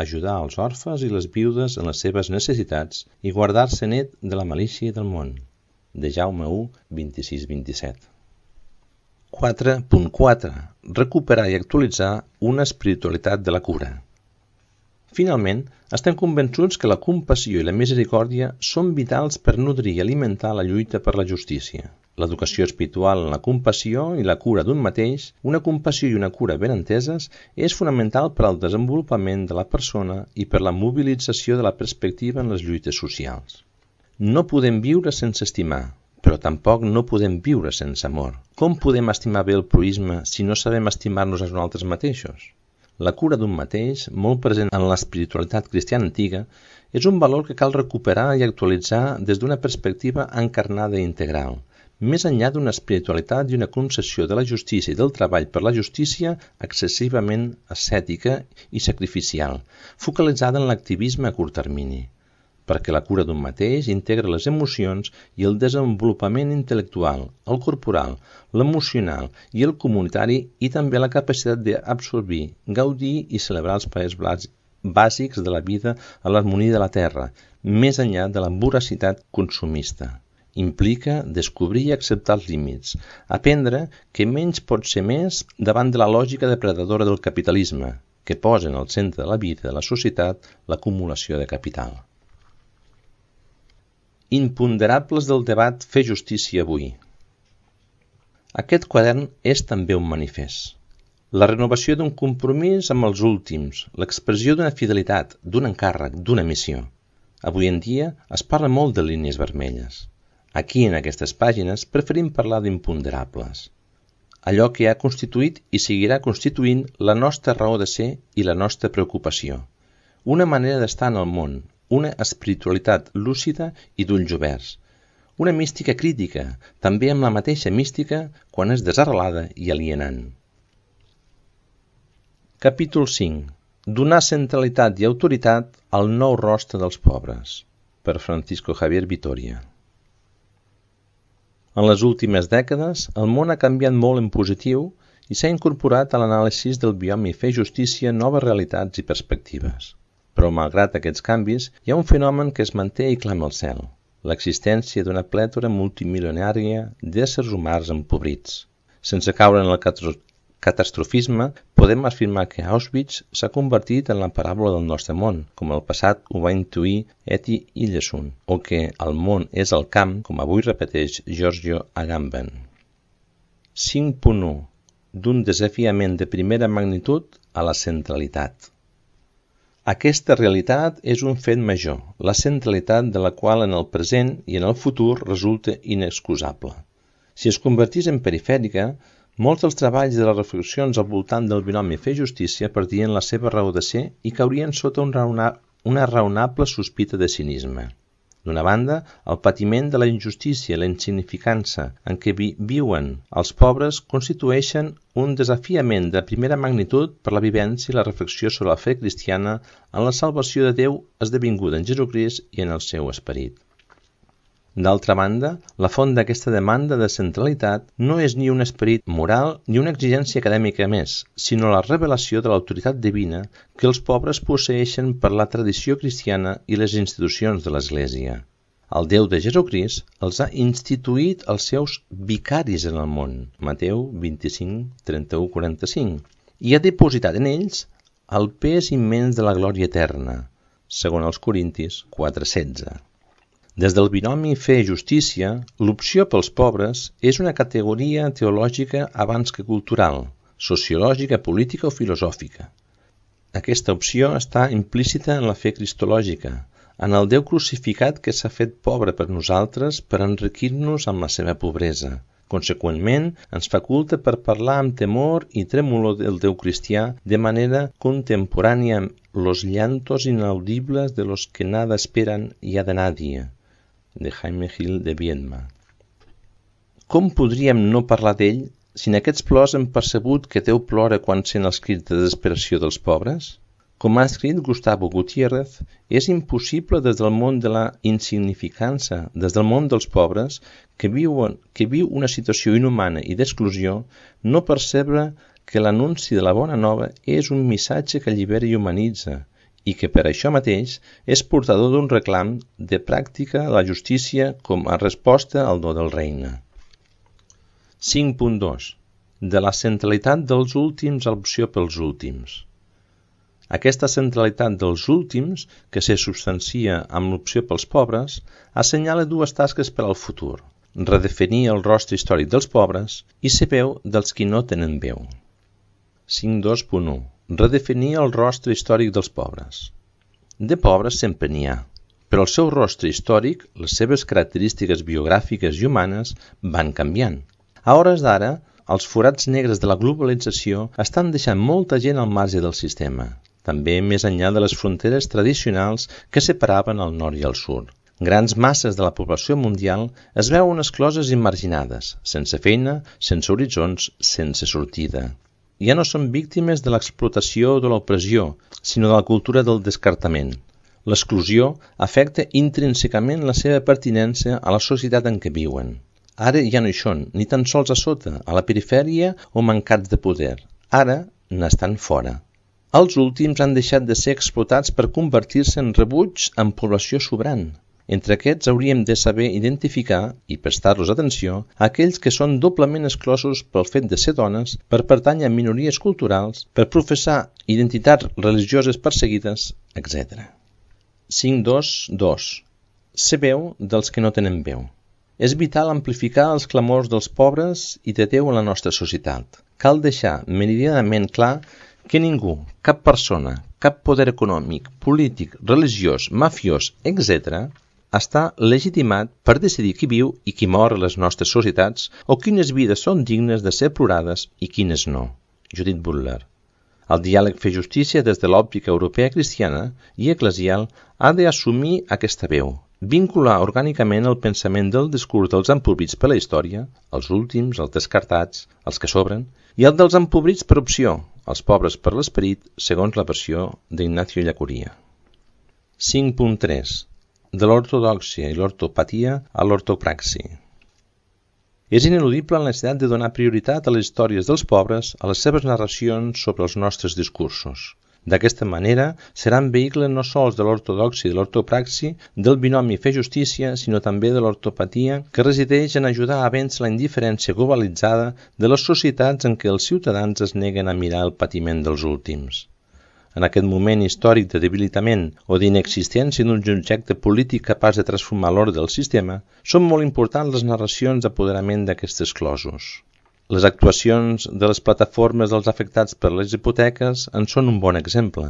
ajudar els orfes i les viudes en les seves necessitats i guardar-se net de la malícia del món. de Jaume u, vint-i-sis vint-i-set. quatre punt quatre. Recuperar i actualitzar una espiritualitat de la cura. Finalment, estem convençuts que la compassió i la misericòrdia són vitals per nodrir i alimentar la lluita per la justícia. L'educació espiritual en la compassió i la cura d'un mateix, una compassió i una cura ben enteses, és fonamental per al desenvolupament de la persona i per la mobilització de la perspectiva en les lluites socials. No podem viure sense estimar, però tampoc no podem viure sense amor. Com podem estimar bé el proïsme si no sabem estimar-nos a nosaltres mateixos? La cura d'un mateix, molt present en l'espiritualitat cristiana antiga, és un valor que cal recuperar i actualitzar des d'una perspectiva encarnada i integral, més enllà d'una espiritualitat i una concepció de la justícia i del treball per la justícia excessivament ascètica i sacrificial, focalitzada en l'activisme a curt termini, perquè la cura d'un mateix integra les emocions i el desenvolupament intel·lectual, el corporal, l'emocional i el comunitari i també la capacitat d'absorbir, gaudir i celebrar els papers bàsics de la vida a l'harmonia de la terra, més enllà de la voracitat consumista. Implica descobrir i acceptar els límits, aprendre que menys pot ser més davant de la lògica depredadora del capitalisme, que posa en el centre de la vida de la societat l'acumulació de capital. Imponderables del debat Fer justícia avui. Aquest quadern és també un manifest. La renovació d'un compromís amb els últims, l'expressió d'una fidelitat, d'un encàrrec, d'una missió. Avui en dia es parla molt de línies vermelles. Aquí, en aquestes pàgines, preferim parlar d'imponderables. Allò que ha constituït i seguirà constituint la nostra raó de ser i la nostra preocupació. Una manera d'estar en el món, una espiritualitat lúcida i d'ulls oberts, una mística crítica, també amb la mateixa mística quan és desarrelada i alienant. Capítol cinc. Donar centralitat i autoritat al nou rostre dels pobres, per Francisco Javier Vitoria. En les últimes dècades, el món ha canviat molt en positiu i s'ha incorporat a l'anàlisi del biomi Fe i Justícia noves realitats i perspectives. Però, malgrat aquests canvis, hi ha un fenomen que es manté i clama al cel, l'existència d'una plètora multimilionària d'éssers humans empobrits. Sense caure en el catastrofisme, podem afirmar que Auschwitz s'ha convertit en la paràbola del nostre món, com el passat ho va intuir Etty Hillesum, o que el món és el camp, com avui repeteix Giorgio Agamben. cinc punt u. D'un desafiament de primera magnitud a la centralitat. Aquesta realitat és un fet major, la centralitat de la qual en el present i en el futur resulta inexcusable. Si es convertís en perifèrica, molts dels treballs de les reflexions al voltant del binomi Fe i Justícia perdien la seva raó de ser i caurien sota un raona, una raonable sospita de cinisme. D'una banda, el patiment de la injustícia i la insignificança en què vi viuen els pobres constitueixen un desafiament de primera magnitud per la vivència i la reflexió sobre la fe cristiana en la salvació de Déu esdevinguda en Jesucrist i en el seu esperit. D'altra banda, la font d'aquesta demanda de centralitat no és ni un esperit moral ni una exigència acadèmica més, sinó la revelació de l'autoritat divina que els pobres posseeixen per la tradició cristiana i les institucions de l'Església. El Déu de Jesucrist els ha instituït els seus vicaris en el món, Mateu vint-i-cinc, trenta-u, quaranta-cinc, i ha depositat en ells el pes immens de la glòria eterna, segons els Corintis quatre, setze. Des del binomi Fe i Justícia, l'opció pels pobres és una categoria teològica abans que cultural, sociològica, política o filosòfica. Aquesta opció està implícita en la fe cristològica, en el Déu crucificat que s'ha fet pobre per nosaltres per enriquir-nos amb la seva pobresa. Conseqüentment, ens faculta per parlar amb temor i trèmolo del Déu cristià de manera contemporània amb los llantos inaudibles de los que nada esperan y a de nadie, de Jaime Gil de Viedma. Com podríem no parlar d'ell si en aquests plors hem percebut que Déu plora quan sent els crits de desesperació dels pobres? Com ha escrit Gustavo Gutiérrez, és impossible des del món de la insignificança, des del món dels pobres, que, viuen, que viu una situació inhumana i d'exclusió, no percebre que l'anunci de la bona nova és un missatge que allibera i humanitza, i que per això mateix és portador d'un reclam de pràctica de la justícia com a resposta al do del regne. cinc punt dos. De la centralitat dels últims a l'opció pels últims. Aquesta centralitat dels últims, que se substancia amb l'opció pels pobres, assenyala dues tasques per al futur: redefinir el rostre històric dels pobres i ser veu dels qui no tenen veu. cinc dos punt u. Redefinir el rostre històric dels pobres. De pobres sempre n'hi ha, però el seu rostre històric, les seves característiques biogràfiques i humanes, van canviant. A hores d'ara, els forats negres de la globalització estan deixant molta gent al marge del sistema, també més enllà de les fronteres tradicionals que separaven el nord i el sud. Grans masses de la població mundial es veuen excloses i marginades, sense feina, sense horitzons, sense sortida. Ja no són víctimes de l'explotació o de l'opressió, sinó de la cultura del descartament. L'exclusió afecta intrínsecament la seva pertinença a la societat en què viuen. Ara ja no hi són, ni tan sols a sota, a la perifèria o mancats de poder. Ara n'estan fora. Els últims han deixat de ser explotats per convertir-se en rebuig en població sobrant. Entre aquests hauríem de saber identificar i prestar-los atenció a aquells que són doblement exclosos pel fet de ser dones, per pertànyer a minories culturals, per professar identitats religioses perseguides, etcètera. cinc dos dos. Ser veu dels que no tenen veu. És vital amplificar els clamors dels pobres i de Déu en la nostra societat. Cal deixar meridianament clar que ningú, cap persona, cap poder econòmic, polític, religiós, mafiós, etcètera, està legitimat per decidir qui viu i qui mor a les nostres societats o quines vides són dignes de ser plorades i quines no. Judith Butler. El diàleg fer justícia des de l'òptica europea cristiana i eclesial ha d'assumir aquesta veu, vincular orgànicament el pensament del discurs dels empobrits per la història, els últims, els descartats, els que sobren, i el dels empobrits per opció, els pobres per l'esperit, segons la versió d'Ignacio Llacuria. cinc punt tres. De l'ortodòxia i l'ortopatia a l'ortopraxi. És ineludible la necessitat de donar prioritat a les històries dels pobres a les seves narracions sobre els nostres discursos. D'aquesta manera, seran vehicle no sols de l'ortodòxia i de l'ortopraxi, del binomi fer justícia, sinó també de l'ortopatia, que resideix en ajudar a vèncer la indiferència globalitzada de les societats en què els ciutadans es neguen a mirar el patiment dels últims. En aquest moment històric de debilitament o d'inexistència d'un objecte polític capaç de transformar l'ordre del sistema, són molt importants les narracions d'apoderament d'aquests exclosos. Les actuacions de les plataformes dels afectats per les hipoteques en són un bon exemple.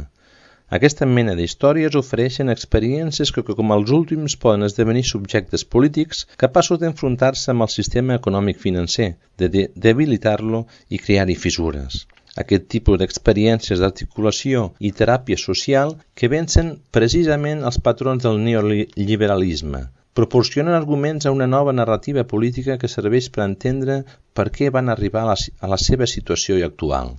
Aquesta mena d'històries ofereixen experiències que com els últims poden esdevenir subjectes polítics capaços d'enfrontar-se amb el sistema econòmic-financer, de debilitar-lo i crear-hi fissures. Aquest tipus d'experiències d'articulació i teràpia social que vencen precisament els patrons del neoliberalisme, proporcionen arguments a una nova narrativa política que serveix per entendre per què van arribar a la, a la seva situació actual.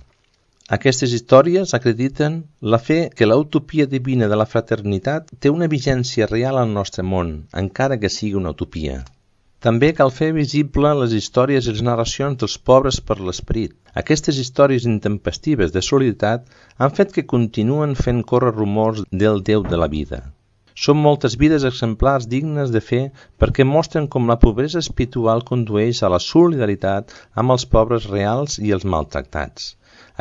Aquestes històries acrediten la fe que la utopia divina de la fraternitat té una vigència real al nostre món, encara que sigui una utopia. També cal fer visible les històries i les narracions dels pobres per l'esperit. Aquestes històries intempestives de solidaritat han fet que continuen fent córrer rumors del Déu de la vida. Són moltes vides exemplars dignes de fer perquè mostren com la pobresa espiritual condueix a la solidaritat amb els pobres reals i els maltractats.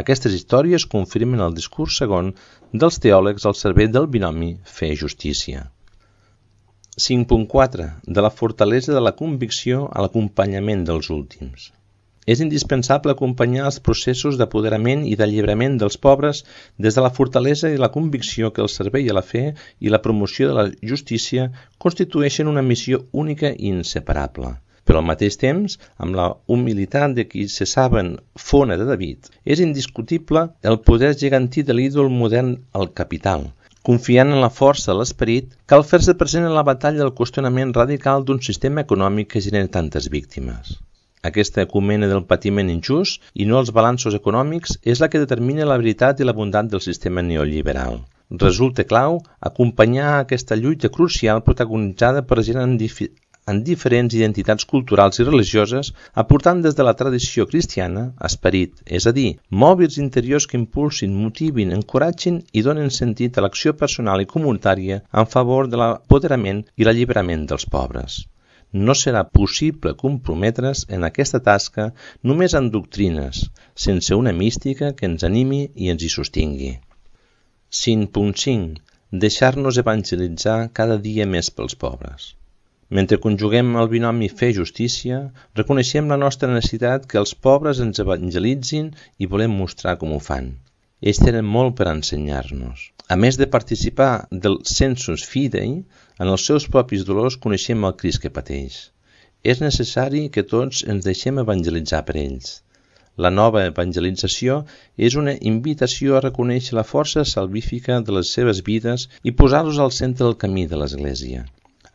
Aquestes històries confirmen el discurs segon dels teòlegs al servei del binomi fe i justícia. cinc punt quatre. De la fortalesa de la convicció a l'acompanyament dels últims. És indispensable acompanyar els processos d'apoderament i d'alliberament dels pobres des de la fortalesa i la convicció que el servei a la fe i la promoció de la justícia constitueixen una missió única i inseparable. Però al mateix temps, amb la humilitat de qui se saben fona de David, és indiscutible el poder gegantí de l'ídol modern al capital. Confiant en la força de l'esperit, cal fer-se present en la batalla del qüestionament radical d'un sistema econòmic que genera tantes víctimes. Aquesta ecumena del patiment injust i no els balanços econòmics és la que determina la veritat i la bondat del sistema neoliberal. Resulta clau acompanyar aquesta lluita crucial protagonitzada per gent en diferents identitats culturals i religioses, aportant des de la tradició cristiana esperit, és a dir, mòbils interiors que impulsin, motivin, encoratgin i donen sentit a l'acció personal i comunitària en favor de l'apoderament i l'alliberament dels pobres. No serà possible comprometre's en aquesta tasca només amb doctrines, sense una mística que ens animi i ens hi sostingui. cinc punt cinc. Deixar-nos evangelitzar cada dia més pels pobres. Mentre conjuguem el binomi fe-justícia, reconeixem la nostra necessitat que els pobres ens evangelitzin i volem mostrar com ho fan. Ells tenen molt per ensenyar-nos. A més de participar del sensus fidei, en els seus propis dolors coneixem el Crist que pateix. És necessari que tots ens deixem evangelitzar per ells. La nova evangelització és una invitació a reconèixer la força salvífica de les seves vides i posar-los al centre del camí de l'Església.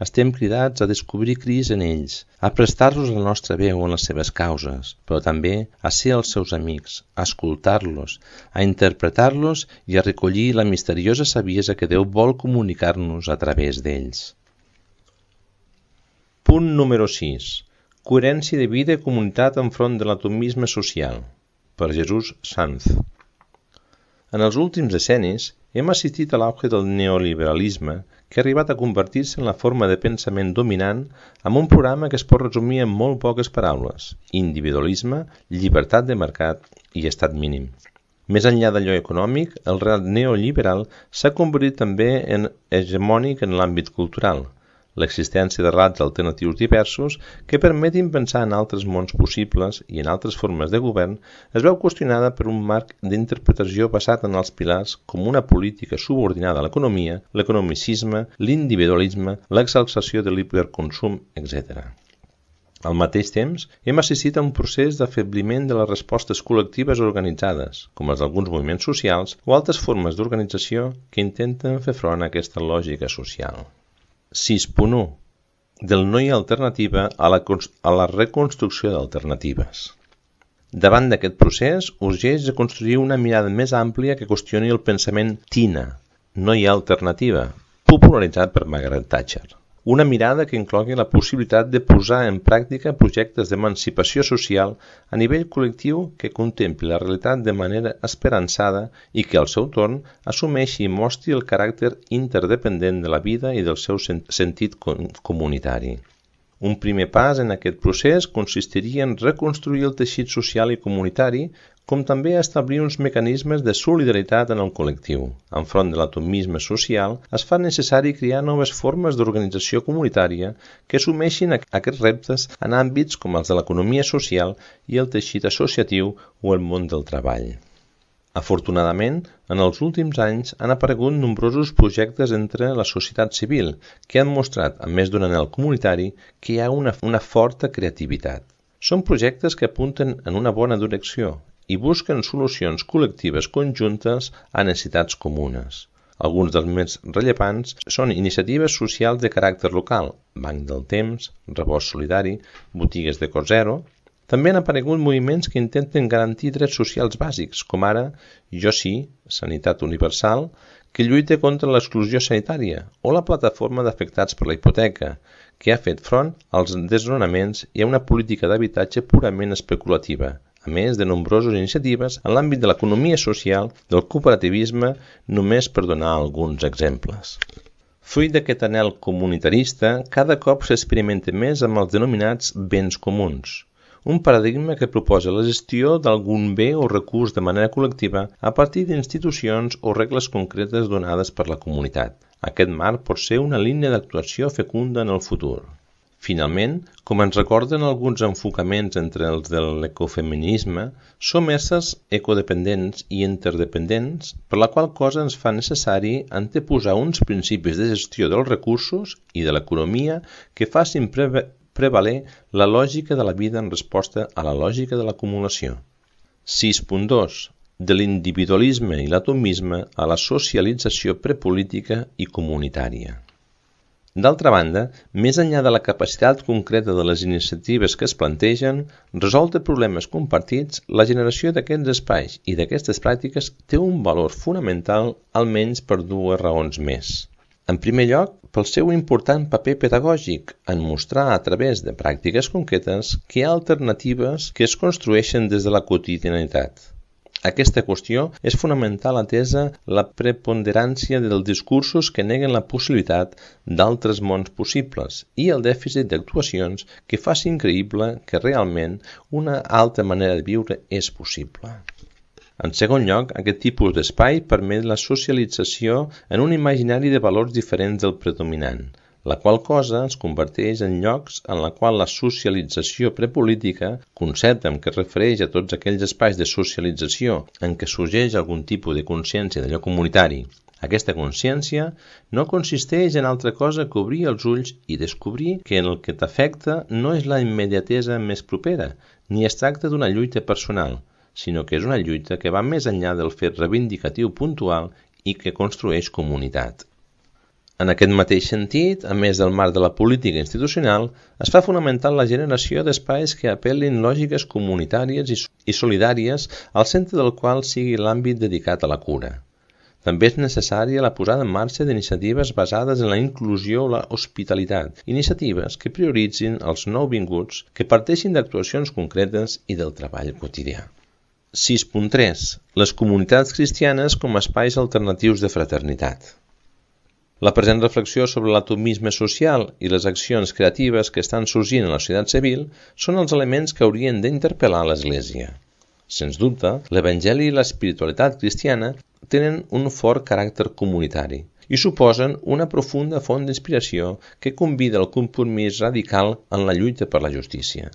Estem cridats a descobrir Crist en ells, a prestar-los la nostra veu en les seves causes, però també a ser els seus amics, a escoltar-los, a interpretar-los i a recollir la misteriosa saviesa que Déu vol comunicar-nos a través d'ells. Punt número sis. Coherència de vida i comunitat enfront de l'atomisme social, per Jesús Sanz. En els últims decennis hem assistit a l'auge del neoliberalisme que ha arribat a convertir-se en la forma de pensament dominant amb un programa que es pot resumir en molt poques paraules: individualisme, llibertat de mercat i estat mínim. Més enllà d'allò econòmic, el relat neoliberal s'ha convertit també en hegemònic en l'àmbit cultural. L'existència de relats alternatius diversos que permetin pensar en altres mons possibles i en altres formes de govern es veu qüestionada per un marc d'interpretació basat en els pilars com una política subordinada a l'economia, l'economicisme, l'individualisme, l'exaltació de l'hiperconsum, etcètera. Al mateix temps, hem assistit a un procés d'afebliment de les respostes col·lectives organitzades, com les d'alguns moviments socials o altres formes d'organització que intenten fer front a aquesta lògica social. sis punt u. Del no hi ha alternativa a la, a la reconstrucció d'alternatives. Davant d'aquest procés, urgeix de construir una mirada més àmplia que qüestioni el pensament TINA, no hi ha alternativa, popularitzat per Margaret Thatcher. Una mirada que inclogui la possibilitat de posar en pràctica projectes d'emancipació social a nivell col·lectiu que contempli la realitat de manera esperançada i que, al seu torn, assumeixi i mostri el caràcter interdependent de la vida i del seu sentit comunitari. Un primer pas en aquest procés consistiria en reconstruir el teixit social i comunitari, com també establir uns mecanismes de solidaritat en el col·lectiu. Enfront de l'atomisme social, es fa necessari crear noves formes d'organització comunitària que assumeixin aquests reptes en àmbits com els de l'economia social i el teixit associatiu o el món del treball. Afortunadament, en els últims anys han aparegut nombrosos projectes entre la societat civil que han mostrat, a més d'un anhel comunitari, que hi ha una, una forta creativitat. Són projectes que apunten en una bona direcció i busquen solucions col·lectives conjuntes a necessitats comunes. Alguns dels més rellevants són iniciatives socials de caràcter local, Banc del Temps, Rebost Solidari, Botigues de Cost Zero. També han aparegut moviments que intenten garantir drets socials bàsics, com ara Jo Sí, Sanitat Universal, que lluita contra l'exclusió sanitària, o la Plataforma d'Afectats per la Hipoteca, que ha fet front als desnonaments i a una política d'habitatge purament especulativa, a més de nombroses iniciatives en l'àmbit de l'economia social, del cooperativisme, només per donar alguns exemples. Fruit d'aquest anhel comunitarista, cada cop s'experimenta més amb els denominats béns comuns, un paradigma que proposa la gestió d'algun bé o recurs de manera col·lectiva a partir d'institucions o regles concretes donades per la comunitat. Aquest marc pot ser una línia d'actuació fecunda en el futur. Finalment, com ens recorden alguns enfocaments entre els de l'ecofeminisme, som éssers ecodependents i interdependents, per la qual cosa ens fa necessari anteposar uns principis de gestió dels recursos i de l'economia que facin preve prevaler la lògica de la vida en resposta a la lògica de l'acumulació. sis punt dos. De l'individualisme i l'atomisme a la socialització prepolítica i comunitària. D'altra banda, més enllà de la capacitat concreta de les iniciatives que es plantegen, resoldre problemes compartits, la generació d'aquests espais i d'aquestes pràctiques té un valor fonamental almenys per dues raons més. En primer lloc, pel seu important paper pedagògic en mostrar a través de pràctiques concretes que hi ha alternatives que es construeixen des de la quotidianitat. Aquesta qüestió és fonamental atesa la preponderància dels discursos que neguen la possibilitat d'altres mons possibles i el dèficit d'actuacions que facin creïble que realment una altra manera de viure és possible. En segon lloc, aquest tipus d'espai permet la socialització en un imaginari de valors diferents del predominant, la qual cosa es converteix en llocs en la qual la socialització prepolítica, concepte en què es refereix a tots aquells espais de socialització en què sorgeix algun tipus de consciència d'allò comunitari. Aquesta consciència no consisteix en altra cosa que obrir els ulls i descobrir que el que t'afecta no és la immediatesa més propera, ni es tracta d'una lluita personal, sinó que és una lluita que va més enllà del fet reivindicatiu puntual i que construeix comunitat. En aquest mateix sentit, a més del marc de la política institucional, es fa fonamental la generació d'espais que apel·lin lògiques comunitàries i solidàries al centre del qual sigui l'àmbit dedicat a la cura. També és necessària la posada en marxa d'iniciatives basades en la inclusió o la hospitalitat, iniciatives que prioritzin els nouvinguts, que parteixin d'actuacions concretes i del treball quotidià. sis punt tres. Les comunitats cristianes com a espais alternatius de fraternitat. La present reflexió sobre l'atomisme social i les accions creatives que estan sorgint en la societat civil són els elements que haurien d'interpel·lar l'Església. Sens dubte, l'Evangeli i l'espiritualitat cristiana tenen un fort caràcter comunitari i suposen una profunda font d'inspiració que convida al compromís radical en la lluita per la justícia.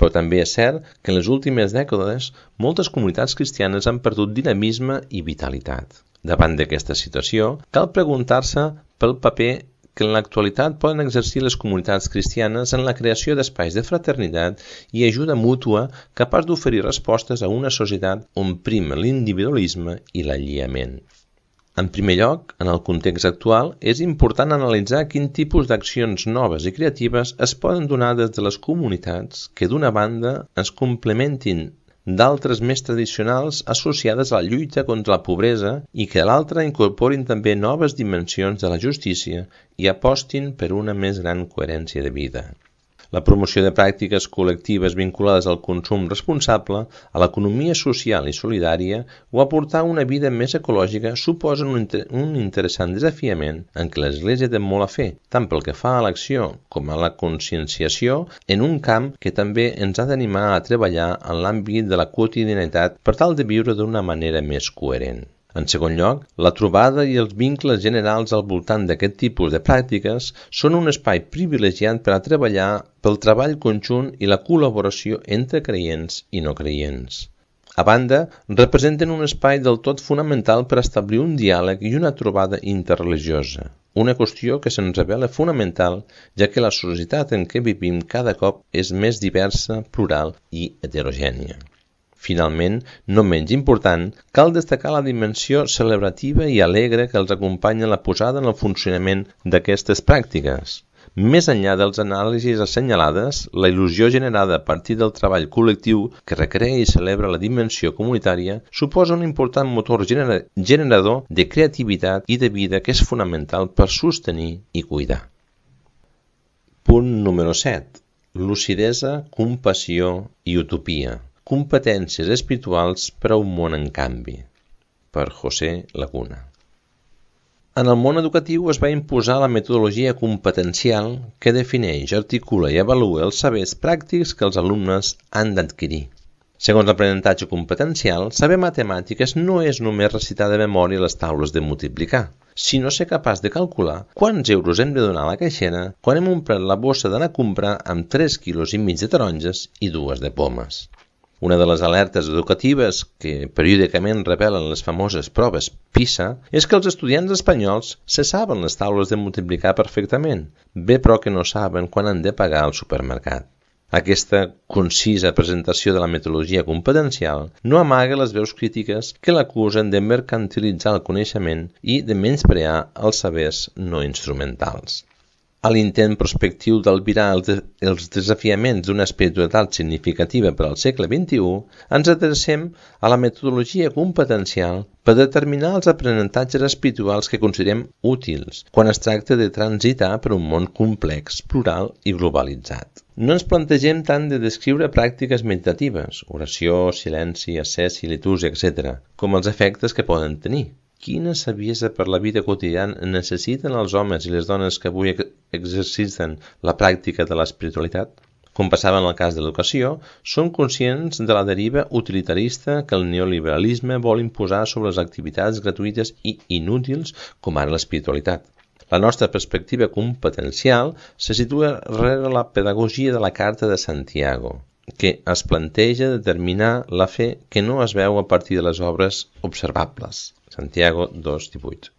Però també és cert que en les últimes dècades moltes comunitats cristianes han perdut dinamisme i vitalitat. Davant d'aquesta situació, cal preguntar-se pel paper que en l'actualitat poden exercir les comunitats cristianes en la creació d'espais de fraternitat i ajuda mútua capaç d'oferir respostes a una societat on prima l'individualisme i l'aïllament. En primer lloc, en el context actual, és important analitzar quin tipus d'accions noves i creatives es poden donar des de les comunitats que, d'una banda, es complementin d'altres més tradicionals associades a la lluita contra la pobresa i que a l'altra incorporin també noves dimensions de la justícia i apostin per una més gran coherència de vida. La promoció de pràctiques col·lectives vinculades al consum responsable, a l'economia social i solidària o aportar una vida més ecològica suposen un, inter un interessant desafiament en què l'Església té molt a fer, tant pel que fa a l'acció com a la conscienciació en un camp que també ens ha d'animar a treballar en l'àmbit de la quotidianitat per tal de viure d'una manera més coherent. En segon lloc, la trobada i els vincles generals al voltant d'aquest tipus de pràctiques són un espai privilegiat per a treballar pel treball conjunt i la col·laboració entre creients i no creients. A banda, representen un espai del tot fonamental per establir un diàleg i una trobada interreligiosa, una qüestió que se'ns revela fonamental, ja que la societat en què vivim cada cop és més diversa, plural i heterogènia. Finalment, no menys important, cal destacar la dimensió celebrativa i alegre que els acompanya la posada en el funcionament d'aquestes pràctiques. Més enllà dels anàlisis assenyalades, la il·lusió generada a partir del treball col·lectiu que recrea i celebra la dimensió comunitària suposa un important motor gener generador de creativitat i de vida que és fonamental per sostenir i cuidar. Punt número set. Lucidesa, compassió i utopia. Competències espirituals per a un món en canvi. Per José Laguna. En el món educatiu es va imposar la metodologia competencial que defineix, articula i avalua els sabers pràctics que els alumnes han d'adquirir. Segons l'aprenentatge competencial, saber matemàtiques no és només recitar de memòria les taules de multiplicar, sinó ser capaç de calcular quants euros hem de donar a la caixera quan hem omplert la bossa d'anar a comprar amb tres quilos i mig de taronges i dues de pomes. Una de les alertes educatives que periòdicament revelen les famoses proves PISA és que els estudiants espanyols se saben les taules de multiplicar perfectament, bé però que no saben quan han de pagar al supermercat. Aquesta concisa presentació de la metodologia competencial no amaga les veus crítiques que l'acusen de mercantilitzar el coneixement i de menysprear els sabers no instrumentals. A l'intent prospectiu d'albirar els, de, els desafiaments d'una espiritualitat significativa per al segle vint-i-u, ens adrecem a la metodologia competencial per determinar els aprenentatges espirituals que considerem útils quan es tracta de transitar per un món complex, plural i globalitzat. No ens plantegem tant de descriure pràctiques meditatives, oració, silenci, ascesi, litúrgia, etcètera, com els efectes que poden tenir. Quina saviesa per la vida quotidiana necessiten els homes i les dones que avui exerciten la pràctica de l'espiritualitat? Com passava en el cas de l'educació, són conscients de la deriva utilitarista que el neoliberalisme vol imposar sobre les activitats gratuïtes i inútils com ara l'espiritualitat. La nostra perspectiva competencial se situa rere la pedagogia de la Carta de Santiago, que es planteja determinar la fe que no es veu a partir de les obres observables. Santiago dos divuit.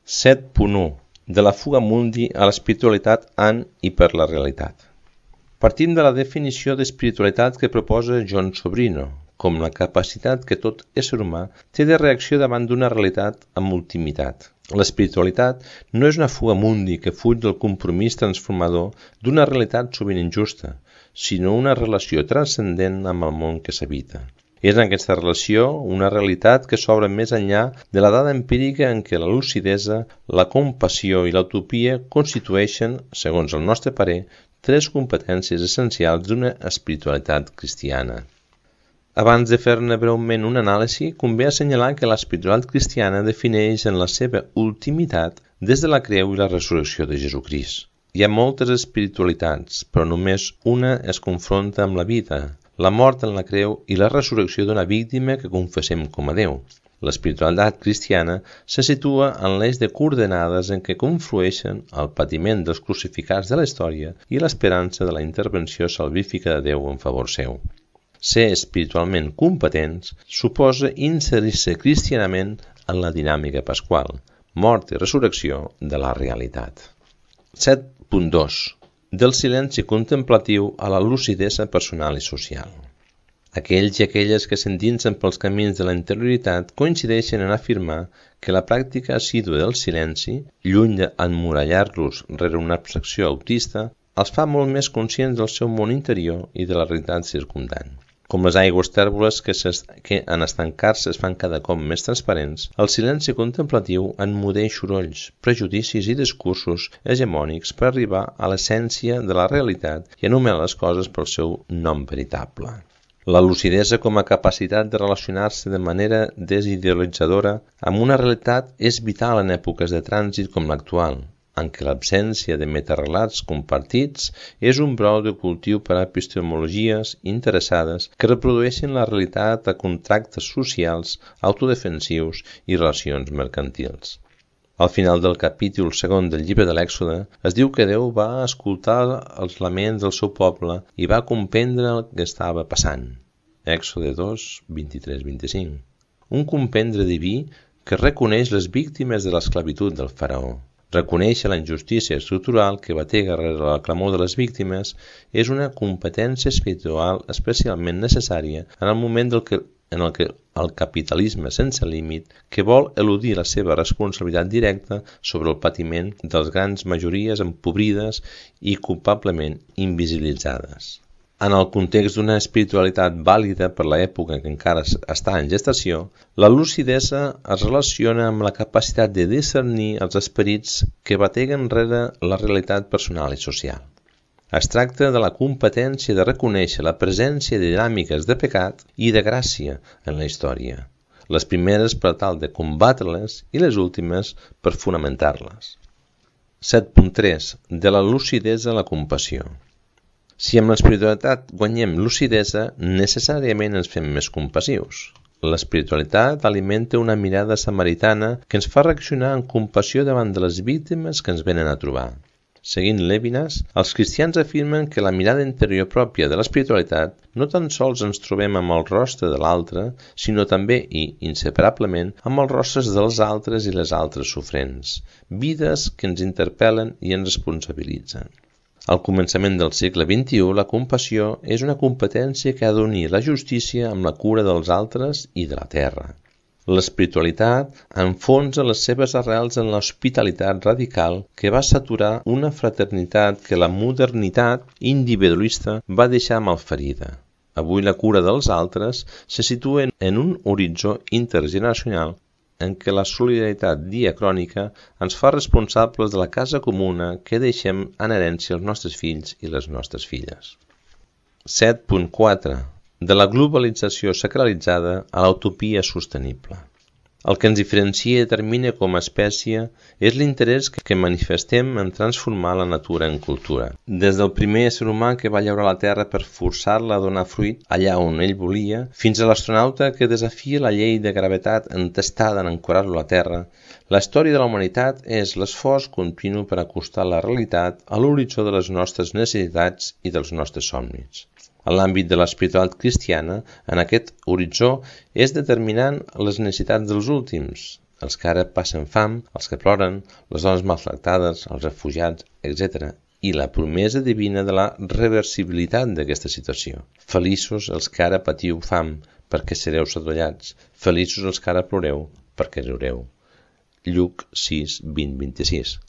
set punt u. De la fuga mundi a l'espiritualitat en i per la realitat. Partim de la definició d'espiritualitat que proposa John Sobrino, com la capacitat que tot ésser humà té de reacció davant d'una realitat amb ultimitat. L'espiritualitat no és una fuga mundi que fuig del compromís transformador d'una realitat sovint injusta, sinó una relació transcendent amb el món que s'habita. És en aquesta relació una realitat que s'obre més enllà de la dada empírica en què la lucidesa, la compassió i l'utopia constitueixen, segons el nostre parer, tres competències essencials d'una espiritualitat cristiana. Abans de fer-ne breument una anàlisi, convé assenyalar que l'espiritualitat cristiana defineix en la seva ultimitat des de la creu i la resurrecció de Jesucrist. Hi ha moltes espiritualitats, però només una es confronta amb la vida, la mort en la creu i la resurrecció d'una víctima que confessem com a Déu. L'espiritualitat cristiana se situa en l'eix de coordenades en què conflueixen el patiment dels crucificats de la història i l'esperança de la intervenció salvífica de Déu en favor seu. Ser espiritualment competents suposa inserir-se cristianament en la dinàmica pasqual, mort i resurrecció de la realitat. set punt dos. Del silenci contemplatiu a la lucidesa personal i social. Aquells i aquelles que s'endinsen pels camins de la interioritat coincideixen en afirmar que la pràctica assídua del silenci, lluny d'emmurallar-los rere una abstracció autista, els fa molt més conscients del seu món interior i de la realitat circumdant. Com les aigües tèrboles que, que en estancar-se es fan cada cop més transparents, el silenci contemplatiu emmudeix sorolls, prejudicis i discursos hegemònics per arribar a l'essència de la realitat i anomenar les coses pel seu nom veritable. La lucidesa com a capacitat de relacionar-se de manera desidealitzadora amb una realitat és vital en èpoques de trànsit com l'actual, en què l'absència de metarrelats compartits és un brou de cultiu per a epistemologies interessades que reprodueixen la realitat a contractes socials, autodefensius i relacions mercantils. Al final del capítol segon del llibre de l'Èxode es diu que Déu va escoltar els laments del seu poble i va comprendre el que estava passant. Èxode dos, vint-i-tres a vint-i-cinc. Un comprendre diví que reconeix les víctimes de l'esclavitud del faraó. Reconèixer la injustícia estructural que batega rere la clamor de les víctimes és una competència espiritual especialment necessària en el moment del que, en el que el capitalisme sense límit que vol eludir la seva responsabilitat directa sobre el patiment de les grans majories empobrides i culpablement invisibilitzades. En el context d'una espiritualitat vàlida per l'època que encara està en gestació, la lucidesa es relaciona amb la capacitat de discernir els esperits que bateguen rere la realitat personal i social. Es tracta de la competència de reconèixer la presència de dinàmiques de pecat i de gràcia en la història, les primeres per tal de combatre-les i les últimes per fonamentar-les. set punt tres. De la lucidesa a la compassió. Si amb l'espiritualitat guanyem lucidesa, necessàriament ens fem més compassius. L'espiritualitat alimenta una mirada samaritana que ens fa reaccionar amb compassió davant de les víctimes que ens venen a trobar. Seguint Levinas, els cristians afirmen que la mirada interior pròpia de l'espiritualitat no tan sols ens trobem amb el rostre de l'altre, sinó també i, inseparablement, amb els rostres dels altres i les altres sofrents, vides que ens interpel·len i ens responsabilitzen. Al començament del segle vint-i-u, la compassió és una competència que ha d'unir la justícia amb la cura dels altres i de la terra. L'espiritualitat enfonsa les seves arrels en l'hospitalitat radical que va saturar una fraternitat que la modernitat individualista va deixar malferida. Avui la cura dels altres se situa en un horitzó intergeneracional en què la solidaritat diacrònica ens fa responsables de la casa comuna que deixem en herència als nostres fills i les nostres filles. set punt quatre. De la globalització sacralitzada a la utopia sostenible. El que ens diferencia i determina com a espècie és l'interès que manifestem en transformar la natura en cultura. Des del primer ésser humà que va llaurar la terra per forçar-la a donar fruit allà on ell volia, fins a l'astronauta que desafia la llei de gravetat entestada en ancorar-lo a la terra, la història de la humanitat és l'esforç continu per acostar la realitat a l'horitzó de les nostres necessitats i dels nostres somnis. En l'àmbit de l'espiritualitat cristiana, en aquest horitzó és determinant les necessitats dels últims, els que ara passen fam, els que ploren, les dones maltractades, els refugiats, etcètera, i la promesa divina de la reversibilitat d'aquesta situació. Feliços els que ara patiu fam, perquè sereu sadollats. Feliços els que ara ploreu, perquè riureu. Lluc sis, vint, vint-i-sis.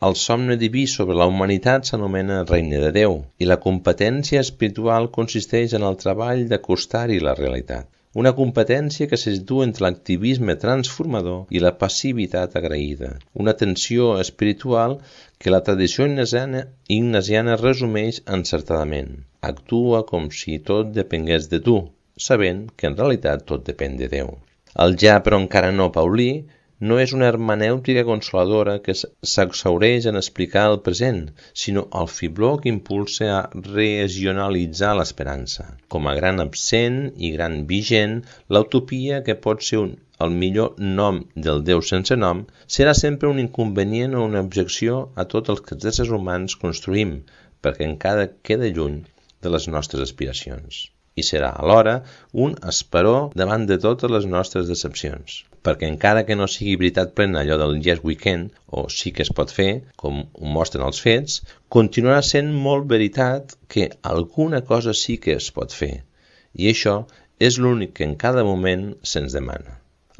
El somni diví sobre la humanitat s'anomena regne de Déu i la competència espiritual consisteix en el treball d'acostar-hi la realitat. Una competència que se situa entre l'activisme transformador i la passivitat agraïda. Una tensió espiritual que la tradició ignasiana, ignasiana resumeix encertadament. Actua com si tot depengués de tu, sabent que en realitat tot depèn de Déu. El ja però encara no paulí no és una hermenèutica consoladora que s'exhaureix en explicar el present, sinó el fibló que impulsa a regionalitzar l'esperança. Com a gran absent i gran vigent, l'utopia, que pot ser un, el millor nom del Déu sense nom, serà sempre un inconvenient o una objecció a tots els que els éssers humans construïm, perquè encara queda lluny de les nostres aspiracions. I serà alhora un esperó davant de totes les nostres decepcions, perquè encara que no sigui veritat plena allò del yes we can, o sí que es pot fer, com ho mostren els fets, continuarà sent molt veritat que alguna cosa sí que es pot fer, i això és l'únic que en cada moment se'ns demana.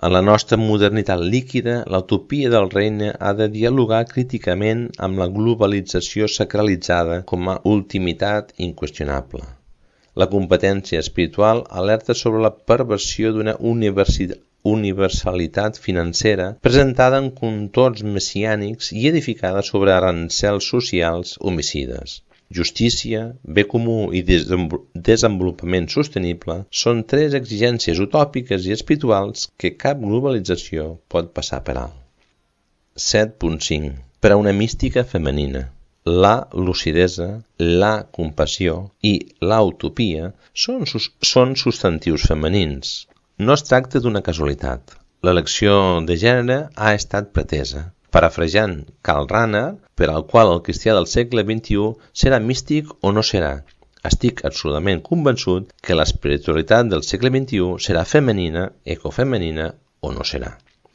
En la nostra modernitat líquida, l'utopia del regne ha de dialogar críticament amb la globalització sacralitzada com a ultimitat inqüestionable. La competència espiritual alerta sobre la perversió d'una universalitat financera presentada en contorns messiànics i edificada sobre arancels socials homicides. Justícia, bé comú i desenvolupament sostenible són tres exigències utòpiques i espirituals que cap globalització pot passar per alt. set punt cinc. Per a una mística femenina. La lucidesa, la compassió i la utopia són, sus, són substantius femenins. No es tracta d'una casualitat. L'elecció de gènere ha estat pretesa, parafrasejant Karl Rahner, per al qual el cristià del segle vint-i-u serà místic o no serà. Estic absolutament convençut que l'espiritualitat del segle vint-i-u serà femenina, ecofemenina o no serà.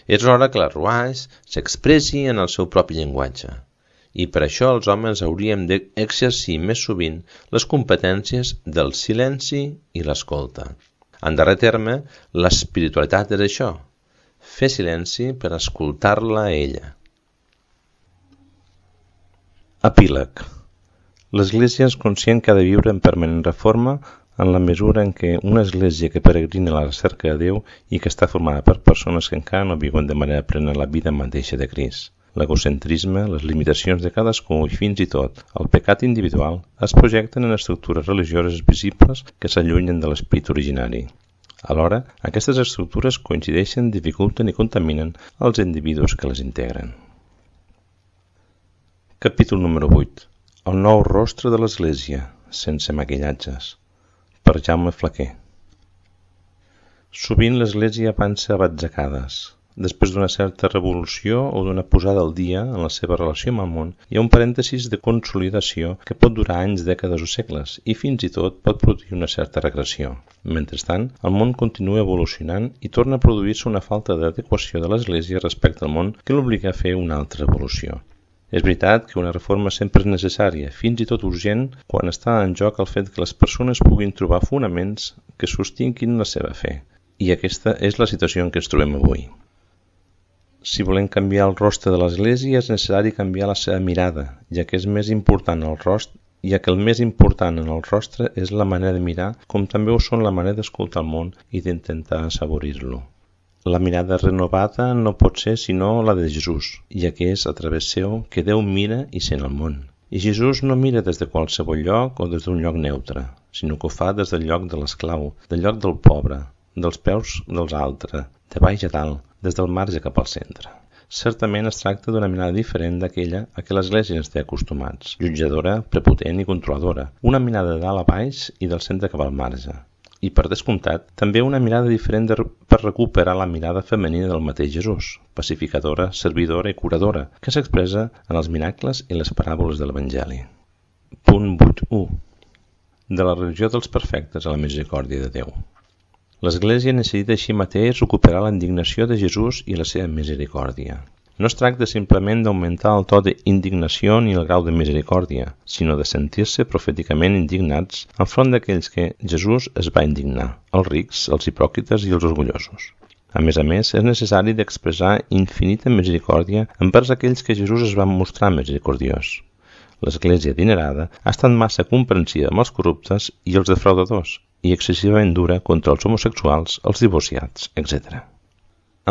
És hora que la Ruach s'expressi en el seu propi llenguatge. I per això els homes hauríem d'exercir més sovint les competències del silenci i l'escolta. En darrer terme, l'espiritualitat és això, fer silenci per escoltar-la a ella. Epíleg. L'Església és conscient que ha de viure en permanent reforma en la mesura en què una església que peregrina a la recerca de Déu i que està formada per persones que encara no viuen de manera plena la vida mateixa de Crist. L'egocentrisme, les limitacions de cadascú i fins i tot el pecat individual es projecten en estructures religioses visibles que s'allunyen de l'esperit originari. Alhora, aquestes estructures coincideixen, dificulten i contaminen els individus que les integren. Capítol número vuit. El nou rostre de l'Església, sense maquillatges. Per Jaume Flaquer. Sovint l'Església avança a batzegades. Després d'una certa revolució o d'una posada al dia en la seva relació amb el món, hi ha un parèntesis de consolidació que pot durar anys, dècades o segles i fins i tot pot produir una certa regressió. Mentrestant, el món continua evolucionant i torna a produir-se una falta d'adequació de l'Església respecte al món que l'obliga a fer una altra evolució. És veritat que una reforma sempre és necessària, fins i tot urgent, quan està en joc el fet que les persones puguin trobar fonaments que sostinguin la seva fe. I aquesta és la situació en què ens trobem avui. Si volem canviar el rostre de l'Església és necessari canviar la seva mirada, ja que és més important el rostre, ja que el més important en el rostre és la manera de mirar, com també ho són la manera d'escoltar el món i d'intentar assaborir-lo. La mirada renovada no pot ser sinó la de Jesús, ja que és a través seu que Déu mira i sent el món. I Jesús no mira des de qualsevol lloc o des d'un lloc neutre, sinó que ho fa des del lloc de l'esclau, del lloc del pobre, dels peus dels altres, de baix a dalt, des del marge cap al centre. Certament es tracta d'una mirada diferent d'aquella a què l'Església ens té acostumats, jutjadora, prepotent i controladora, una mirada de dalt a baix i del centre cap al marge. I per descomptat, també una mirada diferent de, per recuperar la mirada femenina del mateix Jesús, pacificadora, servidora i curadora, que s'expressa en els miracles i les paràboles de l'Evangeli. Punt vuit u. De la religió dels perfectes a la misericòrdia de Déu. L'Església necessita així mateix recuperar la indignació de Jesús i la seva misericòrdia. No es tracta simplement d'augmentar el to d'indignació ni el grau de misericòrdia, sinó de sentir-se profèticament indignats enfront d'aquells que Jesús es va indignar, els rics, els hipòcrites i els orgullosos. A més a més, és necessari d'expressar infinita misericòrdia envers aquells que Jesús es va mostrar misericordiós. L'Església adinerada ha estat massa comprensiva amb els corruptes i els defraudadors, i excessivament dura contra els homosexuals, els divorciats, etcètera.